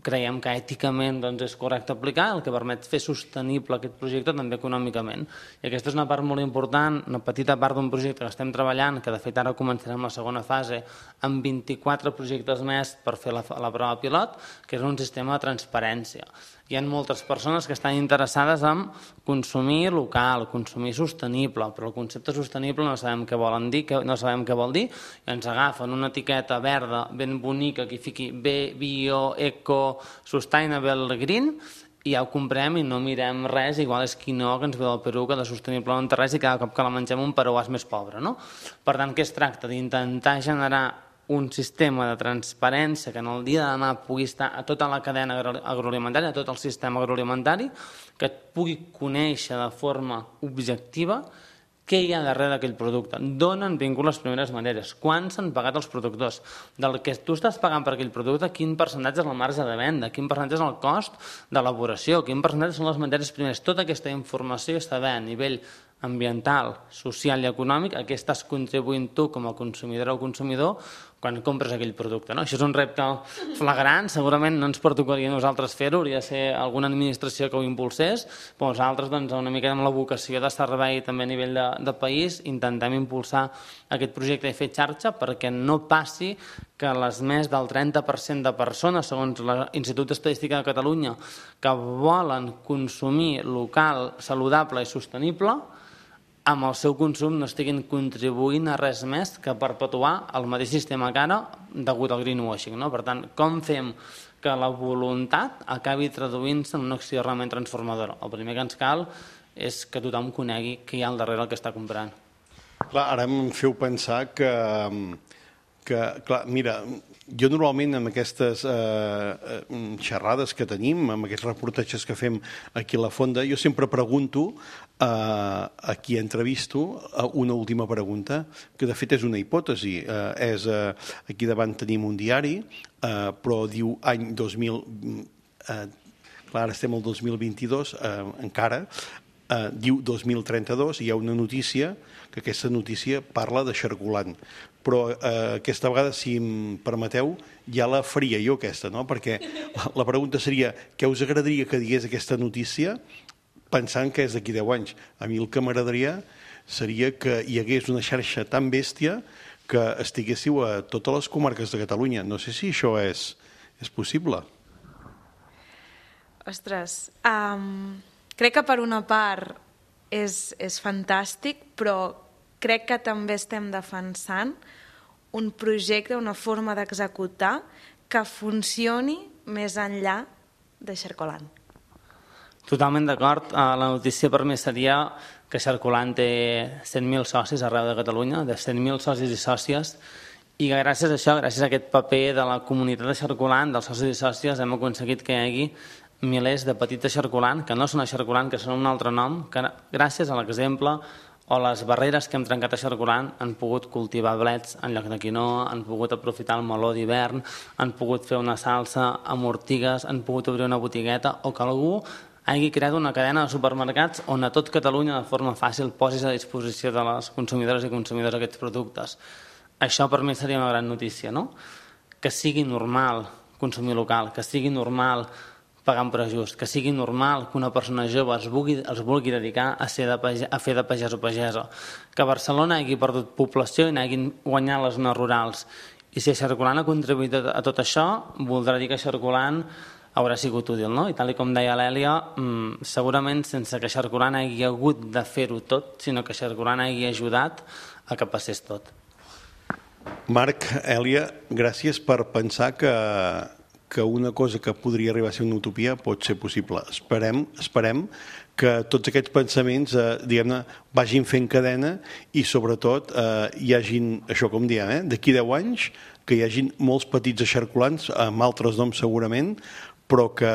S10: creiem que èticament doncs, és correcte aplicar, el que permet fer sostenible aquest projecte també econòmicament. I aquesta és una part molt important, una petita part d'un projecte que estem treballant, que de fet ara començarem la segona fase amb vint-i-quatre projectes més per fer la, la prova pilot, que és un sistema de transparència. Hi ha moltes persones que estan interessades en consumir local, consumir sostenible, però el concepte sostenible no sabem què volen dir, no sabem què vol dir, i ens agafen una etiqueta verda ben bonica que hi fiqui Bio, Eco, Sustainable Green, i ja ho comprem i no mirem res, igual és quinoa que ens ve del Perú, que de sostenible no té res i cada cop que la mengem un peruà és més pobre, no? Per tant, què es tracta? D'intentar generar un sistema de transparència que en el dia de demà pugui estar a tota la cadena agroalimentària, a tot el sistema agroalimentari, que et pugui conèixer de forma objectiva què hi ha darrere d'aquell producte, d'on han vingut les primeres maneres, quan s'han pagat els productors, del que tu estàs pagant per aquell producte, quin percentatge és el marge de venda, quin percentatge és el cost d'elaboració, quin percentatge són les matèries primeres. Tota aquesta informació està bé a nivell ambiental, social i econòmic, a què estàs contribuint tu com a consumidora o consumidor quan compres aquell producte. No? Això és un repte flagrant, segurament no ens pertocaria a nosaltres fer-ho, hauria de ser alguna administració que ho impulsés, però nosaltres doncs, una mica amb la vocació de servei també a nivell de, de país intentem impulsar aquest projecte i fer xarxa perquè no passi que les més del trenta per cent de persones, segons l'Institut d'Estadística de Catalunya, que volen consumir local, saludable i sostenible, amb el seu consum no estiguin contribuint a res més que perpetuar el mateix sistema que ara degut al greenwashing. No? Per tant, com fem que la voluntat acabi traduint-se en una acció realment transformadora? El primer que ens cal és que tothom conegui què hi ha al darrere el que està comprant.
S3: Clar, ara em feu pensar que, que clar, mira, jo normalment amb aquestes eh, xerrades que tenim, amb aquests reportatges que fem aquí a la Fonda, jo sempre pregunto eh, a qui entrevisto una última pregunta, que de fet és una hipòtesi. Eh, és, eh, aquí davant tenim un diari, eh, però diu any dos mil... Eh, clar, ara estem al dos mil vint-i-dos, eh, encara, eh, diu dos mil trenta-dos, i hi ha una notícia, que aquesta notícia parla de xarculant. Però eh, aquesta vegada, si em permeteu, ja la faria jo aquesta, no? Perquè la pregunta seria què us agradaria que digués aquesta notícia pensant que és d'aquí deu anys. A mi el que m'agradaria seria que hi hagués una xarxa tan bèstia que estiguéssiu a totes les comarques de Catalunya. No sé si això és, és possible.
S11: Ostres, um, crec que per una part és, és fantàstic, però crec que també estem defensant un projecte, una forma d'executar que funcioni més enllà de Xarcolant.
S10: Totalment d'acord. La notícia per mi seria que Xarcolant té cent mil socis arreu de Catalunya, de cent mil socis i sòcies, i gràcies a això, gràcies a aquest paper de la comunitat de Xarcolant, dels socis i sòcies, hem aconseguit que hi hagi milers de petits de Xarcolant, que no són a Xarcolant, que són un altre nom, que gràcies a l'exemple o les barreres que hem trencat a Xarcolant han pogut cultivar blets en lloc de quinoa, han pogut aprofitar el meló d'hivern, han pogut fer una salsa amb ortigues, han pogut obrir una botigueta, o que algú hagi creat una cadena de supermercats on a tot Catalunya de forma fàcil posis a disposició de les consumidores i consumidors aquests productes. Això per mi seria una gran notícia, no? Que sigui normal consumir local, que sigui normal pagar un preu just, que sigui normal que una persona jove es vulgui, es vulgui dedicar a, ser de pagès, a fer de pagès o pagesa, que Barcelona hagi perdut població i n'hagin guanyat les zones rurals. I si Xarcolant ha contribuït a tot això, voldrà dir que Xarcolant haurà sigut útil, no? I tal com deia l'Èlia, segurament sense que Xarcolant hagi hagut de fer-ho tot, sinó que Xarcolant hagi ajudat a que passés tot.
S3: Marc, Èlia, gràcies per pensar que que una cosa que podria arribar a ser una utopia pot ser possible. Esperem, esperem que tots aquests pensaments eh, diguem-ne, vagin fent cadena i sobretot eh, hi hagin, això com diem, eh, d'aquí deu anys, que hi hagin molts petits eixarcolants, amb altres noms segurament, però que,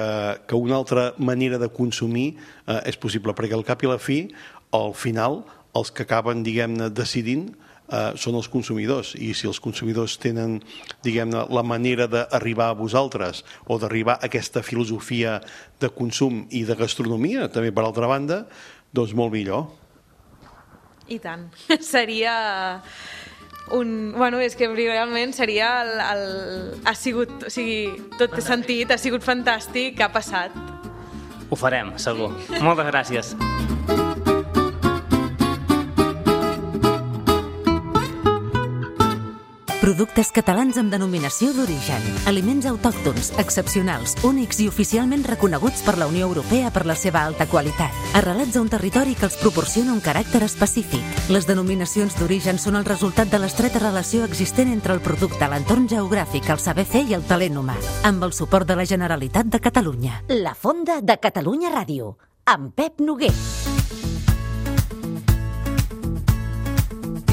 S3: que una altra manera de consumir eh, és possible, perquè al cap i a la fi, al final, els que acaben, diguem-ne, decidint eh, són els consumidors, i si els consumidors tenen, diguem-ne, la manera d'arribar a vosaltres o d'arribar a aquesta filosofia de consum i de gastronomia, també per altra banda, doncs molt millor.
S11: I tant. Seria... Un, bueno, és que realment seria el, el, ha sigut, o sigui, tot té sentit, ha sigut fantàstic, ha passat.
S10: Ho farem, segur. Moltes gràcies.
S1: Productes catalans amb denominació d'origen. Aliments autòctons, excepcionals, únics i oficialment reconeguts per la Unió Europea per la seva alta qualitat. Arrelats a un territori que els proporciona un caràcter específic. Les denominacions d'origen són el resultat de l'estreta relació existent entre el producte, l'entorn geogràfic, el saber fer i el talent humà. Amb el suport de la Generalitat de Catalunya.
S12: La Fonda de Catalunya Ràdio, amb Pep Noguer.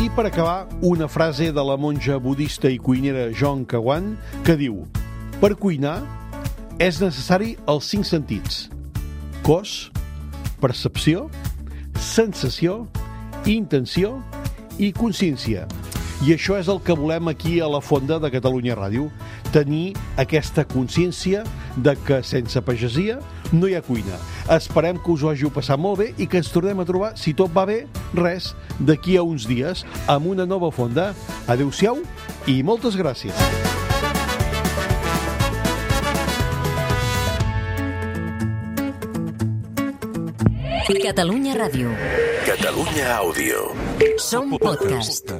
S3: I per acabar, una frase de la monja budista i cuinera Joan Kawan que diu: per cuinar és necessari els cinc sentits: cos, percepció, sensació, intenció i consciència. I això és el que volem aquí a la Fonda de Catalunya Ràdio, tenir aquesta consciència de que sense pagesia no hi ha cuina. Esperem que us ho hàgiu passat molt bé i que ens tornem a trobar, si tot va bé, res, d'aquí a uns dies, amb una nova Fonda. Adéu-siau i moltes gràcies.
S1: Catalunya Ràdio.
S2: Catalunya Àudio.
S1: Som podcast.